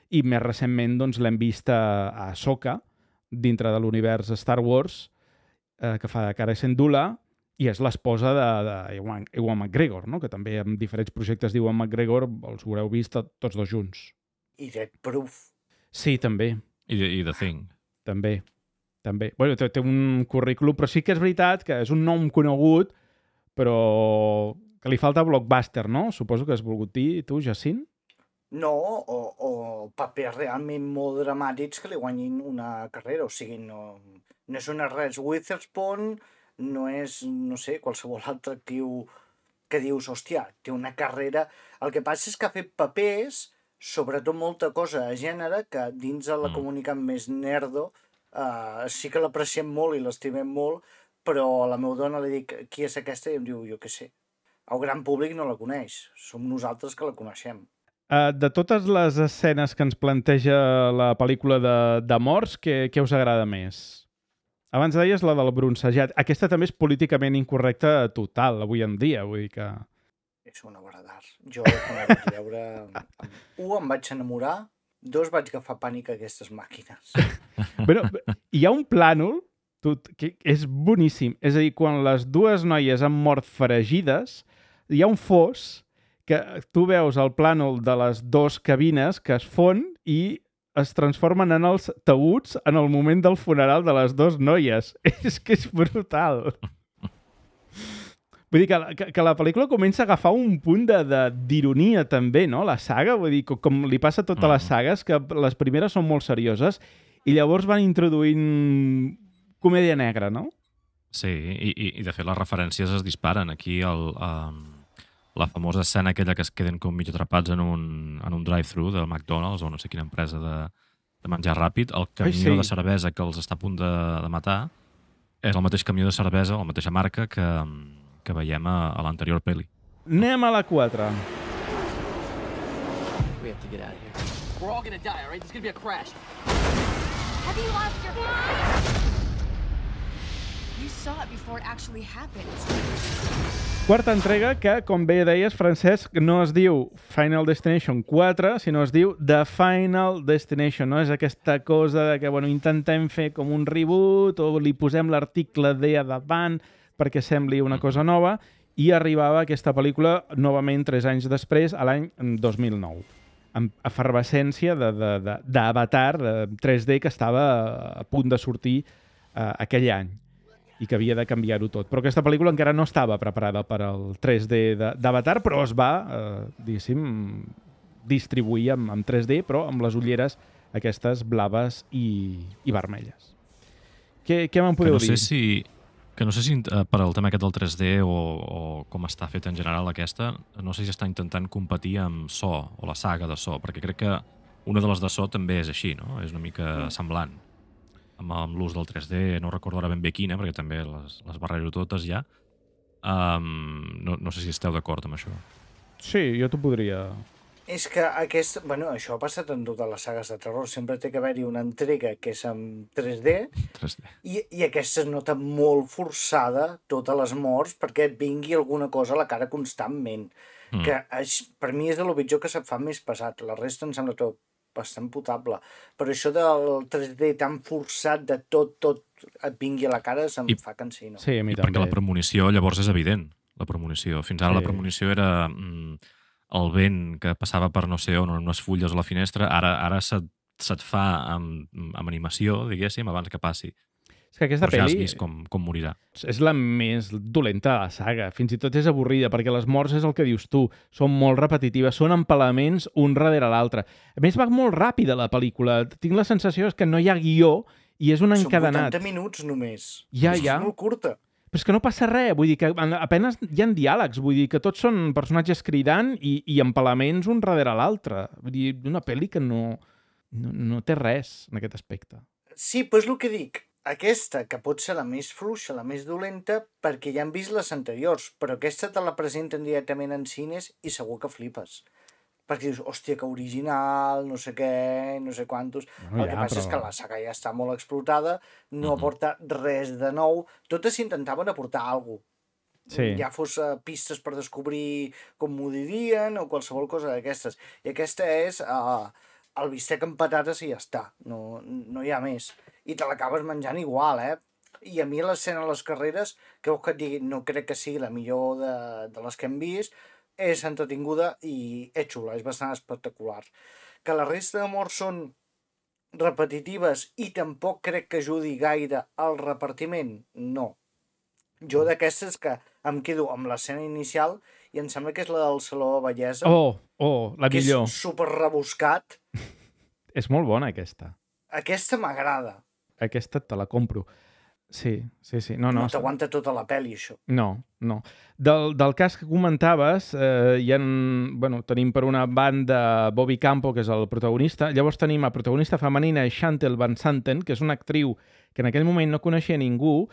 i més recentment doncs, l'hem vist a, a Ahsoka, dintre de l'univers Star Wars, eh, que fa de Cara Syndulla, i és l'esposa d'Ewan Ewan McGregor, no? Que també en diferents projectes d'Ewan McGregor els haureu vist tots dos junts. I Dead Proof. Sí, també. I, i The Thing. També. També. Bueno, té, té un currículum, però sí que és veritat que és un nom conegut, però que li falta blockbuster, no? Suposo que has volgut dir tu, Jacint? No, o, o papers realment molt dramàtics que li guanyin una carrera. O sigui, no, no és una Reese Witherspoon, no és, no sé, qualsevol altre actiu que dius, hòstia, té una carrera... El que passa és que ha fet papers, sobretot molta cosa de gènere, que dins de la Mm. comunitat més nerdo uh, sí que l'apreciem molt i l'estimem molt, però a la meva dona li dic, qui és aquesta? I em diu, jo què sé. El gran públic no la coneix, som nosaltres que la coneixem. Uh, de totes les escenes que ens planteja la pel·lícula de, de morts, què, què us agrada més? Abans deies la del bronzejat. Aquesta també és políticament incorrecta total, avui en dia. Vull dir que... És una obra d'art. Jo, quan la vaig veure... Un, em vaig enamorar. Dos, vaig agafar pànic a aquestes màquines. Però hi ha un plànol tot, que és boníssim. És a dir, quan les dues noies han mort fregides, hi ha un fos que tu veus el plànol de les dues cabines que es fon i es transformen en els taüts en el moment del funeral de les dues noies. És que és brutal. Vull dir que, que, que la pel·lícula comença a agafar un punt d'ironia també, no? La saga, vull dir, com, com li passa a totes les sagues, que les primeres són molt serioses i llavors van introduint comèdia negra, no? Sí, i, i, i de fet les referències es disparen. Aquí el, um, la famosa escena aquella que es queden com mig atrapats en un, en un drive-thru del McDonald's o no sé quina empresa de, de menjar ràpid, el camió Ai, sí. de cervesa que els està a punt de, de matar és el mateix camió de cervesa, la mateixa marca que, que veiem a, a l'anterior pel·li. Anem a la quatre. We have to get out of here. We're all gonna die, all right? There's gonna be a crash. Have you lost your mind? You saw it before it actually happened. Quarta entrega que, com bé deies, Francesc, no es diu Final Destination quatre, sinó es diu The Final Destination, no? És aquesta cosa de que, bueno, intentem fer com un reboot o li posem l'article D a davant perquè sembli una cosa nova i arribava aquesta pel·lícula novament tres anys després, a l'any dos mil nou, amb efervescència d'Avatar tres D que estava a punt de sortir uh, aquell any i que havia de canviar-ho tot. Però aquesta pel·lícula encara no estava preparada per al tres D d'Avatar, però es va, eh, diguéssim, distribuir amb, amb tres D, però amb les ulleres aquestes blaves i, i vermelles. Què, què me'n podeu que no sé dir? si Que no sé si eh, per al tema aquest del tres D o, o com està fet en general aquesta, no sé si està intentant competir amb So o la saga de So, perquè crec que una de les de So també és així, no? És una mica mm. semblant amb, amb l'ús del tres D, no recordo ara ben bé quina, perquè també les, les barrejo totes ja. Um, no, no sé si esteu d'acord amb això. Sí, jo t'ho podria... És que aquest, bueno, això ha passat en totes les sagues de terror. Sempre té que haver-hi una entrega que és en tres D, tres D. I, i aquesta es nota molt forçada, totes les morts, perquè et vingui alguna cosa a la cara constantment. Mm. Que és, per mi és de lo pitjor que se't fa més pesat. La resta em sembla tot bastant potable. Però això del tres D tan forçat de tot, tot et vingui a la cara se'm I, fa cansino. Sí, a mi I també. perquè la premonició llavors és evident. La premonició. Fins ara sí. La premonició era... Mm, el vent que passava per no sé on, en unes fulles a la finestra, ara ara se't, se't fa amb, amb animació, diguéssim, abans que passi. És que aquesta Però ja pel·li... has vist com, com morirà. És la més dolenta de la saga. Fins i tot és avorrida, perquè les morts és el que dius tu. Són molt repetitives, són empalaments un darrere l'altre. A més, va molt ràpida la pel·lícula. Tinc la sensació que no hi ha guió i és un encadenat. Són vuitanta minuts només. Ja, ja. És molt curta. Però és que no passa res, vull dir que apenas hi ha diàlegs, vull dir que tots són personatges cridant i, i empalaments un darrere l'altre. Vull dir, una pel·li que no, no, no té res en aquest aspecte. Sí, però és el que dic. Aquesta, que pot ser la més fluixa, la més dolenta, perquè ja han vist les anteriors, però aquesta te la presenten directament en cines i segur que flipes. Perquè dius, hòstia, que original, no sé què, no sé quantos... Bueno, el ja, que passa però... és que la saga ja està molt explotada, no mm-hmm. aporta res de nou. Totes intentaven aportar alguna cosa. Sí. Ja fos uh, pistes per descobrir com m'ho dirien o qualsevol cosa d'aquestes. I aquesta és uh, el bistec amb patates i ja està. No, no hi ha més. I te l'acabes menjant igual, eh? I a mi l'escena de les carreres, que que et digui, no crec que sigui la millor de, de les que hem vist, és entretinguda i és xula, és bastant espectacular. Que la resta de morts són repetitives i tampoc crec que ajudi gaire al repartiment, no. Jo d'aquestes que em quedo amb l'escena inicial i em sembla que és la del Saló de Bellesa. Oh, oh, la que millor. Que és super rebuscat. És molt bona, aquesta. Aquesta m'agrada. Aquesta te la compro. Sí, sí, sí. No, no, no t'aguanta tota la pel·li, això. No, no. Del, del cas que comentaves, eh, hi ha, bueno, tenim per una banda Bobby Campo, que és el protagonista. Llavors tenim a protagonista femenina Chantal Van Santen, que és una actriu que en aquell moment no coneixia ningú,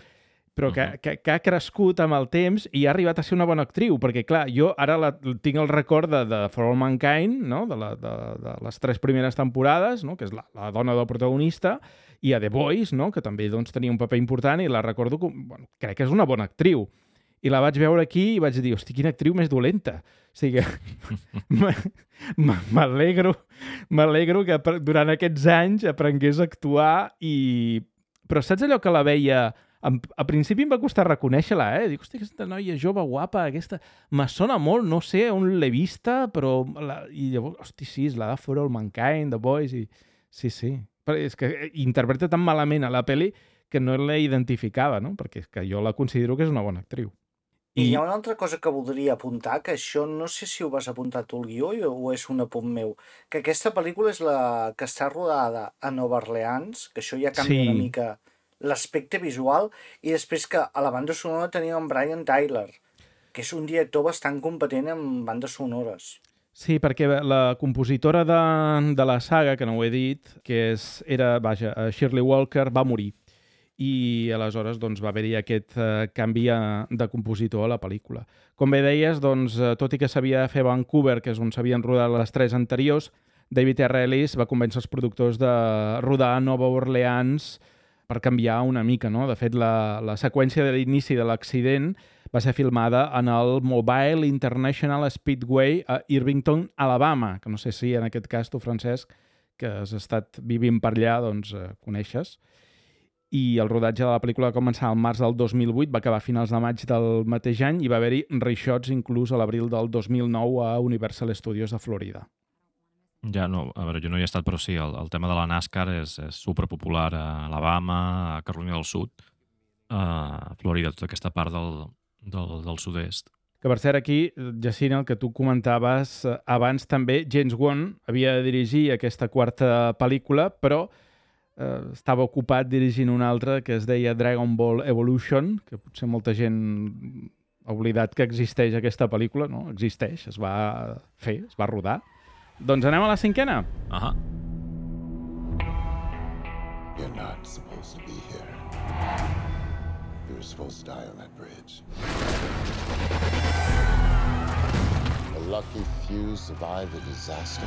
però que, uh-huh. que, que ha crescut amb el temps i ha arribat a ser una bona actriu, perquè, clar, jo ara la, tinc el record de, de For All Mankind, no? de, la, de, de les tres primeres temporades, no? Que és la, la dona del protagonista, i a The Boys, no? Que també doncs, tenia un paper important i la recordo com... Bueno, crec que és una bona actriu. I la vaig veure aquí i vaig dir, hosti, quina actriu més dolenta. O sigui, m'alegro m'alegro que durant aquests anys aprengués a actuar i... Però saps allò que la veia... A principi em va costar reconèixer-la, eh? Dic, hosti, aquesta noia jove, guapa, aquesta... Me sona molt, no sé on l'he vista, però... La... I llavors, hosti, sí, és la de For All Mankind, The Boys, i... Sí, sí. Però és que interpreta tan malament a la pel·li que no la identificava, no? Perquè és que jo la considero que és una bona actriu. I, I hi ha una altra cosa que voldria apuntar, que això no sé si ho vas apuntar tu al guió o és un apunt meu, que aquesta pel·lícula és la que està rodada a Nova Orleans, que això ja canvia sí. una mica l'aspecte visual, i després que a la banda sonora teníem en Brian Tyler, que és un director bastant competent en bandes sonores. Sí, perquè la compositora de, de la saga, que no ho he dit, que és, era, vaja, Shirley Walker, va morir. I aleshores doncs, va haver-hi aquest eh, canvi de compositor a la pel·lícula. Com bé deies, doncs, tot i que s'havia de fer a Vancouver, que és on s'havien rodat les tres anteriors, David R. Ellis va convèncer els productors de rodar a Nova Orleans per canviar una mica, no? De fet, la, la seqüència de l'inici de l'accident va ser filmada en el Mobile International Speedway a Irvington, Alabama, que no sé si en aquest cas tu, Francesc, que has estat vivint per allà, doncs eh, coneixes. I el rodatge de la pel·lícula va començar al març del dos mil vuit, va acabar a finals de maig del mateix any i va haver-hi reshots inclús a l'abril del dos mil nou a Universal Studios de Florida. Ja, no, a veure, jo no hi he estat, però sí, el, el tema de la NASCAR és, és superpopular a Alabama, a Carolina del Sud, a Florida, tota aquesta part del, del, del sud-est. Que per cert aquí, Jacint, el que tu comentaves abans també, James Wan havia de dirigir aquesta quarta pel·lícula, però eh, estava ocupat dirigint una altra que es deia Dragon Ball Evolution, que potser molta gent ha oblidat que existeix aquesta pel·lícula, no? Existeix, es va fer, es va rodar. Doncs anem a la cinquena. Ahà. You're not supposed to be here. You were supposed to die on that bridge. A lucky few survived the disaster.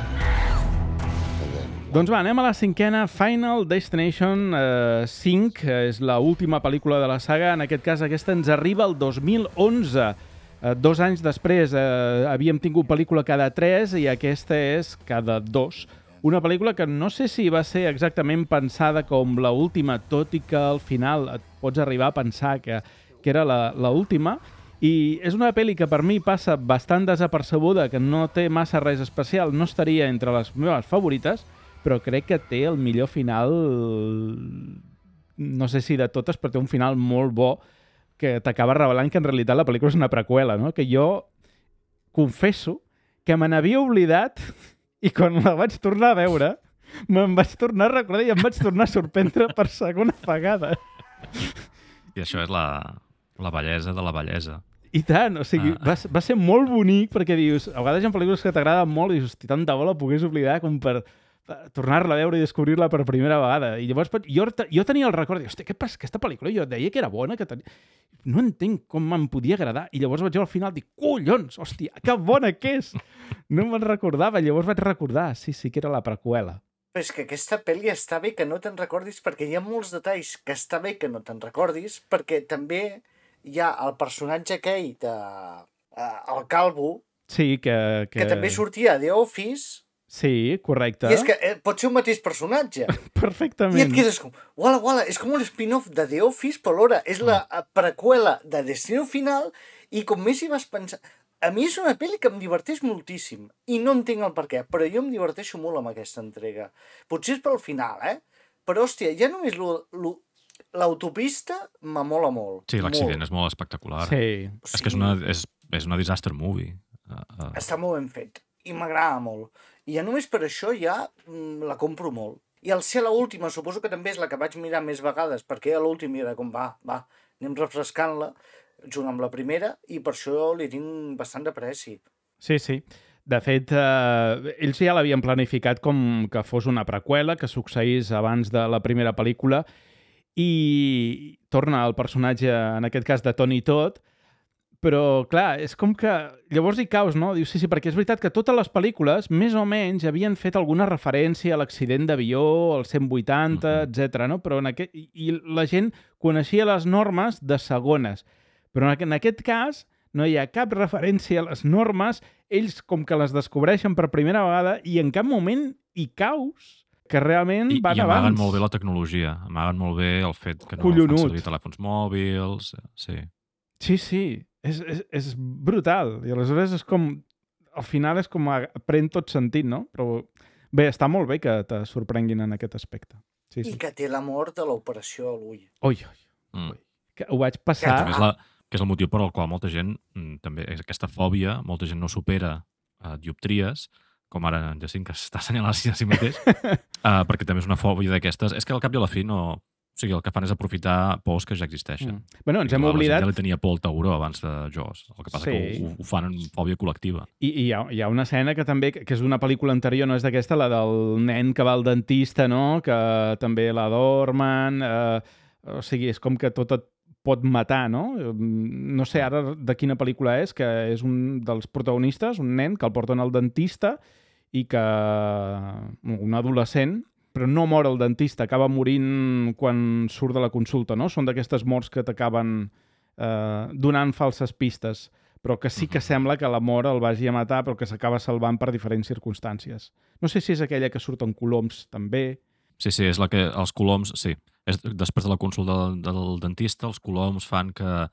And then... Doncs va, anem a la cinquena, Final Destination eh, cinc, és l'última pel·lícula de la saga. En aquest cas, aquesta ens arriba el dos mil onze. Eh, dos anys després eh, havíem tingut pel·lícula cada tres i aquesta és cada dos. Una pel·lícula que no sé si va ser exactament pensada com la última, tot i que al final et pots arribar a pensar que, que era la, la última. I és una pel·li que per mi passa bastant desapercebuda, que no té massa res especial, no estaria entre les meves favorites, però crec que té el millor final, no sé si de totes, però té un final molt bo que t'acaba revelant que en realitat la pel·lícula és una preqüela, no? Que jo confesso que me n'havia oblidat i quan la vaig tornar a veure me'n vaig tornar a recordar i em vaig tornar a sorprendre per segona vegada. I això és la, la bellesa de la bellesa. I tant, o sigui, ah. va, va ser molt bonic perquè dius, a vegades hi ha pel·lícules que t'agraden molt i dius, hosti, tant de bo la pogués oblidar com per tornar-la a veure i descobrir-la per primera vegada. I llavors jo, jo tenia el record, hosti, què passa, aquesta pel·lícula jo deia que era bona, que tenia... no entenc com me'n podia agradar. I llavors vaig al final i dic, collons, hòstia, que bona que és! No me'n recordava, llavors vaig recordar, sí, sí, que era la preqüela. Però és que aquesta pel·li està bé que no te'n recordis perquè hi ha molts detalls que està bé que no te'n recordis perquè també hi ha el personatge aquell de... Uh, el Calvo, sí, que, que... que també sortia a The Office. Sí, correcte. I és que eh, pot ser un mateix personatge. Perfectament. I et quedes com, uala, uala, és com un spin-off de The Office, però alhora és la preqüela de Destino Final i com més hi vas pensar... A mi és una pel·li que em diverteix moltíssim i no entenc el per què, però jo em diverteixo molt amb aquesta entrega. Potser és pel final, eh? Però, hòstia, ja només lo, lo, l'autopista m'amola molt. Sí, l'accident és molt espectacular. Sí. És sí. que és una, és, és una disaster movie. Uh, uh. Està molt ben fet i m'agrada molt. I ja només per això ja mm, la compro molt. I al ser l'última, suposo que també és la que vaig mirar més vegades, perquè a l'última era com, va, va, anem refrescant-la, junt amb la primera, i per això li tinc bastant d'apreci. Sí, sí. De fet, eh, ells ja l'havien planificat com que fos una preqüela, que succeís abans de la primera pel·lícula, i torna el personatge, en aquest cas de Tony Todd, però, clar, és com que llavors hi caus, no? Dius, sí, sí, perquè és veritat que totes les pel·lícules, més o menys, havien fet alguna referència a l'accident d'avió, al cent vuitanta, uh-huh. etcètera, no? Però en aquest... I la gent coneixia les normes de segones. Però en aquest cas no hi ha cap referència a les normes, ells com que les descobreixen per primera vegada i en cap moment hi caus que realment I, van i abans. I amaguen molt bé la tecnologia, amaguen molt bé el fet que no Collonut. fan servir telèfons mòbils, sí. Sí, sí, és, és, és brutal. I aleshores és com... Al final és com... Pren tot sentit, no? Però bé, està molt bé que te sorprenguin en aquest aspecte. Sí, sí. I que té la mort de l'operació a l'ull. Ui, ui, mm. ui. Que ho vaig passar... Que, és la, que és el motiu per al qual molta gent, també, aquesta fòbia, molta gent no supera uh, dioptries, com ara en Jacint, que s'està assenyalant a si mateix, uh, perquè també és una fòbia d'aquestes. És que al cap i a la fi no... O sigui, el que fan és aprofitar pors que ja existeixen. Mm. Bueno, ens hem la, oblidat... La gent ja li tenia por al tauró abans de Jaws. El que passa sí. que ho, ho fan en fòbia col·lectiva. I, i hi, ha, hi ha una escena que també, que és d'una pel·lícula anterior, no és d'aquesta, la del nen que va al dentista, no? Que també la dormen... Eh, o sigui, és com que tot et pot matar, no? No sé ara de quina pel·lícula és, que és un dels protagonistes, un nen que el porten al dentista i que... un adolescent, però no mor el dentista, acaba morint quan surt de la consulta, no? Són d'aquestes morts que t'acaben eh, donant falses pistes, però que sí que sembla que la mort el vagi a matar, però que s'acaba salvant per diferents circumstàncies. No sé si és aquella que surt en coloms, també. Sí, sí, és la que els coloms, sí. És, després de la consulta del, del dentista, els coloms fan que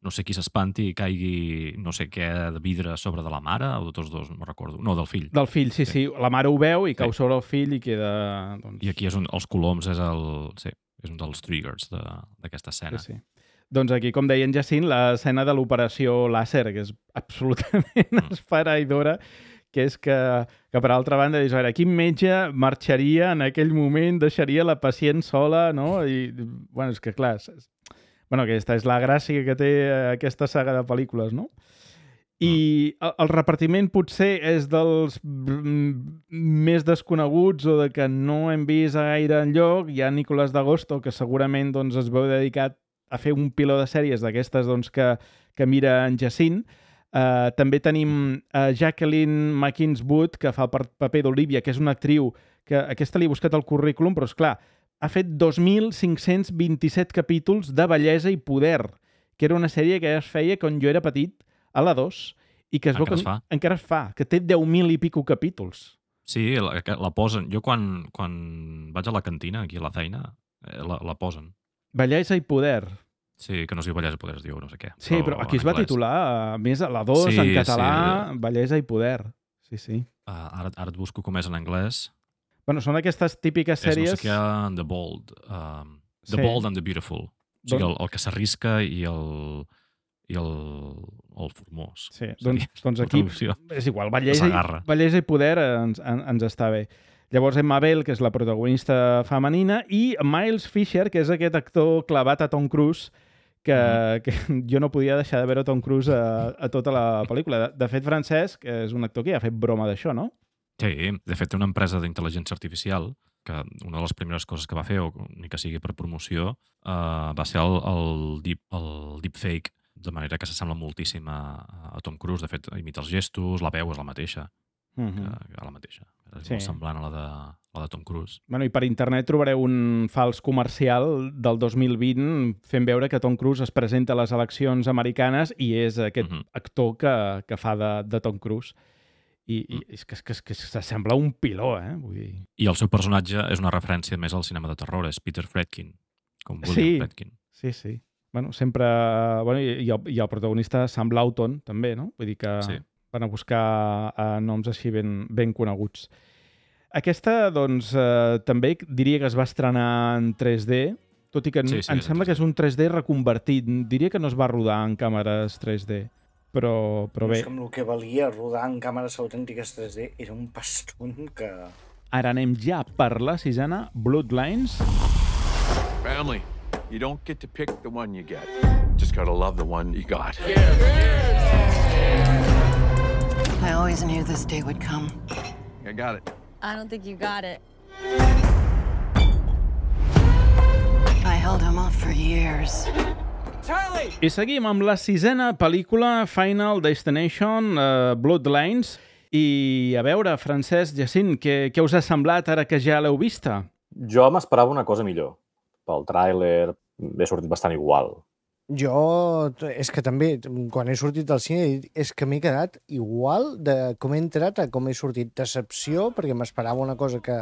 no sé qui s'espanti i caigui no sé què de vidre sobre de la mare, o de tots dos, no recordo. No, del fill. Del fill, sí, sí. sí. La mare ho veu i cau sí. sobre el fill i queda... Doncs... I aquí és un, els coloms és, el, sí, és un dels triggers d'aquesta escena. Sí, sí. Doncs aquí, com deia en Jacint, l'escena de l'operació làser, que és absolutament mm. esfereïdora, que és que, que per altra banda, dius, a veure, quin metge marxaria en aquell moment, deixaria la pacient sola, no? I, bueno, és que clar, és, bueno, aquesta és la gràcia que té aquesta saga de pel·lícules, no? I el, el repartiment potser és dels més desconeguts o de que no hem vist a gaire enlloc. Hi ha Nicolás d'Agosto, que segurament doncs, es veu dedicat a fer un piló de sèries d'aquestes doncs, que, que mira en Jacint. Uh, també tenim uh, Jacqueline McInnes Wood, que fa el paper d'Olivia, que és una actriu que aquesta li he buscat el currículum, però, esclar, ha fet dos mil cinc-cents vint-i-set capítols de Bellesa i Poder, que era una sèrie que es feia quan jo era petit, a la dos, i que es veu que es fa. encara es fa, que té deu mil i pico capítols. Sí, la, la posen. Jo quan, quan vaig a la cantina, aquí a la feina, la, la posen. Bellesa i Poder. Sí, que no es diu Bellesa i Poder, es diu no sé què. Sí, però, però aquí es va titular, a més, a la dos, sí, en català, sí. Bellesa i Poder. Sí, sí. Uh, ara, ara et busco com és en anglès. Bueno, són aquestes típiques sèries... És no sé què, The Bold. Um, the sí. Bold and the Beautiful. O sigui, el, el que s'arrisca i el... i el, el formós. Sí, doncs, doncs aquí és igual, Bellesa i, Bellesa i Poder ens, en, ens està bé. Llavors Emma Bell, que és la protagonista femenina, i Miles Fisher, que és aquest actor clavat a Tom Cruise, que, mm. que jo no podia deixar de veure Tom Cruise a, a tota la pel·lícula. De, de fet, Francesc és un actor que ja ha fet broma d'això, no? Sí, de fet té una empresa d'intel·ligència artificial que una de les primeres coses que va fer, o ni que sigui per promoció, uh, va ser el, el, deep, el deepfake, de manera que s'assembla moltíssim a, a Tom Cruise. De fet, imita els gestos, la veu és la mateixa. Mm-hmm. que, que la mateixa. És sí. molt semblant a la de, la de Tom Cruise. Bueno, i per internet trobareu un fals comercial del dos mil vint fent veure que Tom Cruise es presenta a les eleccions americanes i és aquest mm-hmm. actor que, que fa de, de Tom Cruise. I, i és que, que, que s'assembla un piló, eh? Vull dir... I el seu personatge és una referència més al cinema de terror, és Peter Friedkin, com William sí. Friedkin. Sí, sí. Bueno, sempre... Bueno, i, i, el, i el protagonista Sam Lawton, també, no? Vull dir que... Sí. Van a buscar uh, noms així ben, ben coneguts. Aquesta, doncs, uh, també diria que es va estrenar en tres D, tot i que sí, sí, em sembla que és un tres D reconvertit. Diria que no es va rodar en càmeres tres D, però, però bé. És com el que valia rodar en càmeres autèntiques tres D, era un paston que... Ara anem ja per la sisena, Bloodlines. Family, you don't get to pick the one you get. Just gotta love the one you got. I always knew this day would come. I got it. I don't think you got it. I held him off for years. Charlie! I seguim amb la sisena pel·lícula, Final Destination, uh, Bloodlines. I a veure, Francesc, Jacint, què, què us ha semblat ara que ja l'heu vista? Jo m'esperava una cosa millor. Pel tràiler m'he sortit bastant igual. Jo, és que també, quan he sortit del cine, és que m'he quedat igual de com he entrat a com he sortit. Decepció, perquè m'esperava una cosa que,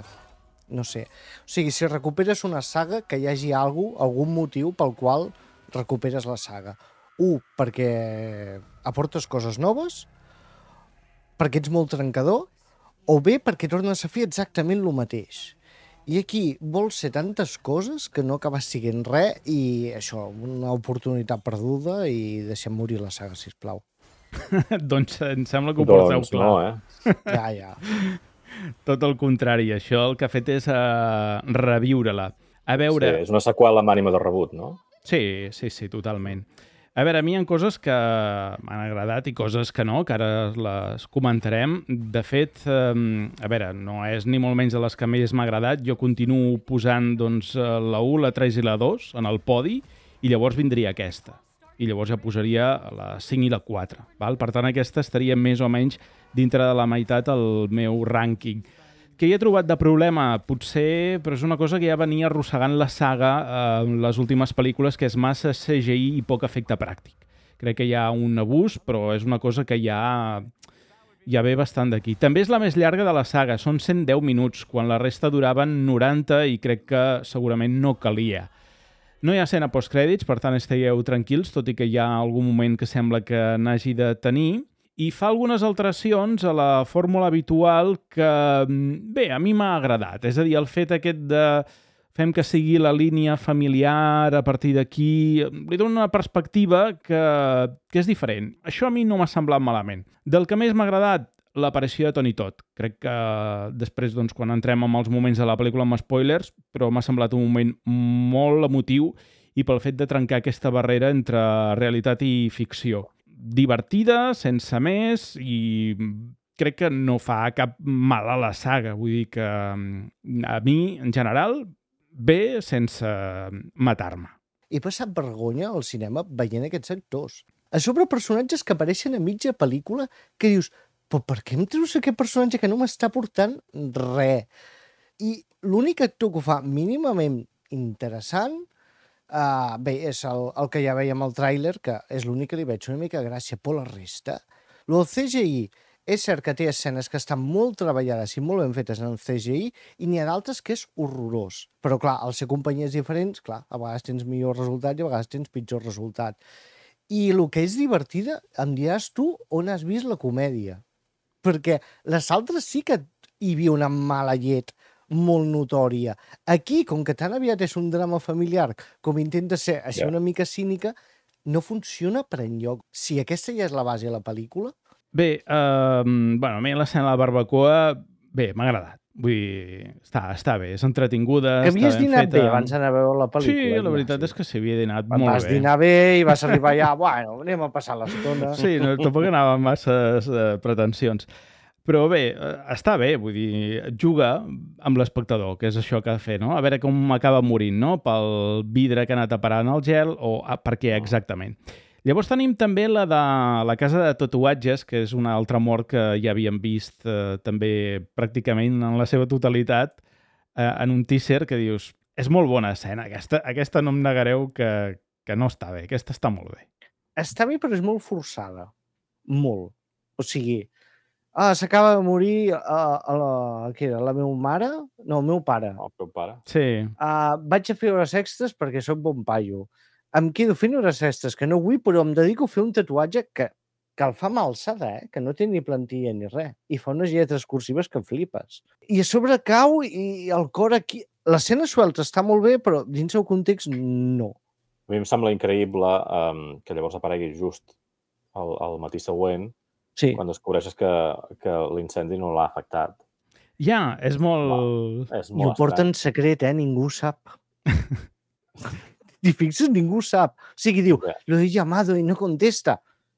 no sé... O sigui, si recuperes una saga, que hi hagi algú, algun motiu pel qual recuperes la saga. Un, perquè aportes coses noves, perquè ets molt trencador, o bé perquè tornes a fer exactament el mateix. I aquí vols ser tantes coses que no acabes siguent res i això, una oportunitat perduda i deixem morir la saga, sisplau. Doncs em sembla que ho porteu doncs clar. No, eh? Ja, ja. Tot el contrari, això el que ha fet és uh, reviure-la. A veure... Sí, és una seqüela amb ànima de rebut, no? Sí, sí, sí, totalment. A veure, a mi hi ha coses que m'han agradat i coses que no, que ara les comentarem. De fet, eh, a veure, no és ni molt menys de les que més m'ha agradat. Jo continuo posant doncs, la u, la tres i la dos en el podi i llavors vindria aquesta. I llavors ja posaria la cinc i la quatre. Val? Per tant, aquesta estaria més o menys dintre de la meitat el meu rànquing. Què hi he trobat de problema? Potser, però és una cosa que ja venia arrossegant la saga en eh, les últimes pel·lícules, que és massa C G I i poc efecte pràctic. Crec que hi ha un abús, però és una cosa que ja, ja ve bastant d'aquí. També és la més llarga de la saga, són cent deu minuts, quan la resta duraven noranta i crec que segurament no calia. No hi ha escena postcrèdits, per tant estigueu tranquils, tot i que hi ha algun moment que sembla que n'hagi de tenir. I fa algunes alteracions a la fórmula habitual que, bé, a mi m'ha agradat. És a dir, el fet aquest de fem que sigui la línia familiar a partir d'aquí, li dona una perspectiva que, que és diferent. Això a mi no m'ha semblat malament. Del que més m'ha agradat, l'aparició de Tony Todd. Crec que després, doncs, quan entrem en els moments de la pel·lícula amb spoilers, però m'ha semblat un moment molt emotiu i pel fet de trencar aquesta barrera entre realitat i ficció. Divertida, sense més, i crec que no fa cap mal a la saga. Vull dir que a mi, en general, bé sense matar-me. He passat vergonya al cinema veient aquests actors. A sobre, personatges que apareixen a mitja pel·lícula que dius, però per què em treus aquest personatge que no m'està portant res? I l'únic actor que ho fa mínimament interessant, uh, bé, és el, el que ja veiem al tràiler, que és l'únic que li veig una mica de gràcia, per la resta. Lo del C G I, és cert que té escenes que estan molt treballades i molt ben fetes en el C G I i n'hi ha d'altres que és horrorós. Però, clar, al ser companyies diferents, clar, a vegades tens millor resultat i a vegades tens pitjor resultat. I el que és divertida, em diràs tu on has vist la comèdia. Perquè les altres sí que hi havia una mala llet molt notòria. Aquí, com que tan aviat és un drama familiar, com intenta ser així yeah. una mica cínica, no funciona per enlloc. Si aquesta ja és la base de la pel·lícula... Bé, uh, bueno, a mi l'escena de la barbacoa, bé, m'ha agradat. Vull dir, està, està bé, és entretinguda, que està ben feta. Havies dinat bé abans d'anar a veure la pel·lícula. Sí, la veritat sí. és que s'hi havia dinat Vas molt vas bé. Vas dinar bé i vas arribar allà, bueno, anem a passar l'estona. Sí, no, tampoc anava amb masses uh, pretensions. Però bé, està bé, vull dir, juga amb l'espectador, que és això que ha de fer, no? A veure com acaba morint, no? Pel vidre que ha anat a parar en el gel o ah, per què exactament. Llavors tenim també la de la casa de tatuatges, que és una altra mort que ja havíem vist eh, també pràcticament en la seva totalitat eh, en un teaser que dius, és molt bona escena, aquesta, aquesta no em negareu que, que no està bé, aquesta està molt bé. Està bé, però és molt forçada. Molt. O sigui, ah, s'acaba de morir a, a la, què era, la meva mare? No, el meu pare. El teu pare? Sí. Uh, vaig a fer hores extres perquè sóc bon paio. Em quedo fent hores extres que no vull, però em dedico a fer un tatuatge que, que el fa mà alçada, eh? Que no té ni plantilla ni res. I fa unes lletres cursives que flipes. I a sobre cau i el cor aquí... L'escena suelta està molt bé, però dins el context no. A mi em sembla increïble um, que llavors aparegui just el, el matí següent, sí. quan descobreixes que, que l'incendi no l'ha afectat. Ja, és molt... Va, és molt I ho porta en secret, eh? Ningú sap. I fixes, ningú sap. O sigui, diu, yeah. lo he llamado i no contesta.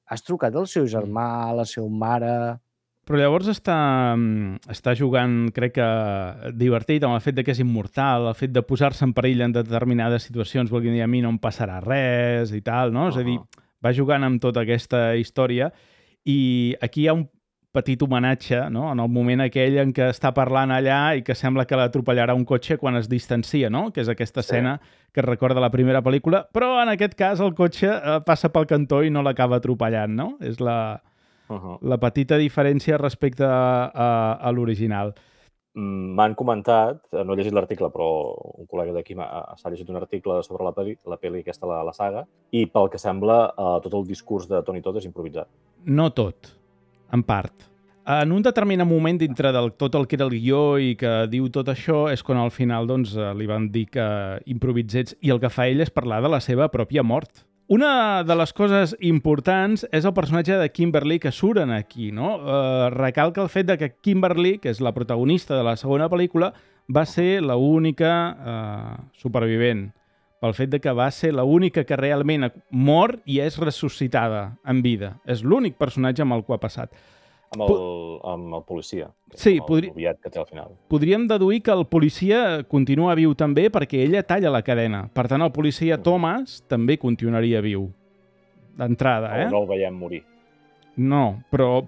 Has trucat al seu germà, a la seva mare... Però llavors està, està jugant, crec que, divertit amb el fet de que és immortal, el fet de posar-se en perill en determinades situacions, vol dir, a mi no em passarà res i tal, no? Uh-huh. És a dir, va jugant amb tota aquesta història i aquí hi ha un petit homenatge, no? En el moment aquell en què està parlant allà i que sembla que l'atropellarà un cotxe quan es distancia, no? Que és aquesta escena sí. que es recorda la primera pel·lícula, però en aquest cas el cotxe eh, passa pel cantó i no l'acaba atropellant, no? És la, uh-huh. la petita diferència respecte a, a, a l'original. M'han comentat, no he llegit l'article, però un col·lega d'aquí s'ha llegit un article sobre la pel·li, la pel·li aquesta, la, la saga, i pel que sembla eh, tot el discurs de Tony Todd és improvisat. No tot. En part. En un determinat moment dintre del tot el que era el guió i que diu tot això és quan al final doncs, li van dir que improvisés i el que fa ell és parlar de la seva pròpia mort. Una de les coses importants és el personatge de Kimberly que suren aquí, no? Eh, recalca el fet de que Kimberly, que és la protagonista de la segona pel·lícula, va ser l'única eh, supervivent. Pel fet de que va ser l'única que realment mor i és ressuscitada en vida. És l'únic personatge amb el que ha passat. Amb el, amb el policia. Sí, amb podri... el noviat que té al final. Podríem deduir que el policia continua viu també perquè ella talla la cadena. Per tant, el policia Thomas també continuaria viu. D'entrada, eh? O no el veiem morir. No, però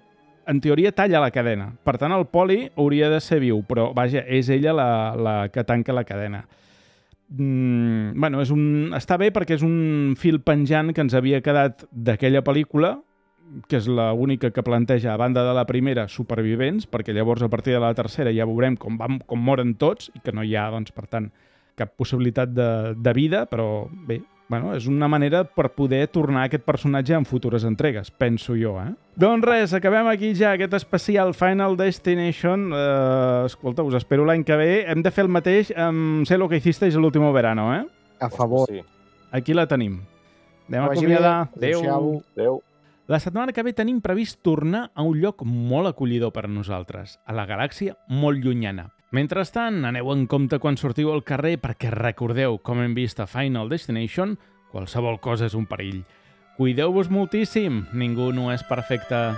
en teoria talla la cadena. Per tant, el poli hauria de ser viu, però vaja, és ella la, la que tanca la cadena. Mm, bueno, és un... està bé perquè és un fil penjant que ens havia quedat d'aquella pel·lícula, que és l'única que planteja, a banda de la primera, supervivents, perquè llavors a partir de la tercera ja veurem com, vam, com moren tots i que no hi ha, doncs, per tant, cap possibilitat de, de vida, però bé, bueno, és una manera per poder tornar aquest personatge en futures entregues, penso jo, eh? Doncs res, acabem aquí ja aquest especial Final Destination. Uh, escolta, us espero l'any que ve. Hem de fer el mateix amb Sé lo que hicisteis el último verano, eh? A favor. Sí. Aquí la tenim. Anem a acomiadar. Adéu. Adéu. La setmana que ve tenim previst tornar a un lloc molt acollidor per a nosaltres, a la galàxia molt llunyana. Mentrestant, aneu en compte quan sortiu al carrer perquè recordeu, com hem vist a Final Destination, qualsevol cosa és un perill. Cuideu-vos moltíssim, ningú no és perfecte.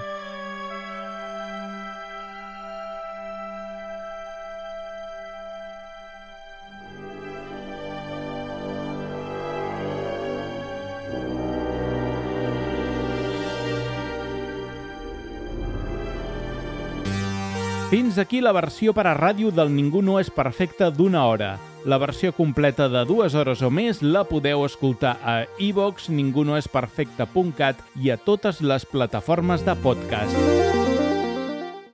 Fins aquí la versió per a ràdio del Ningú no és perfecte d'una hora. La versió completa de dues hores o més la podeu escoltar a iVox, ningunoesperfecte punt cat i a totes les plataformes de podcast.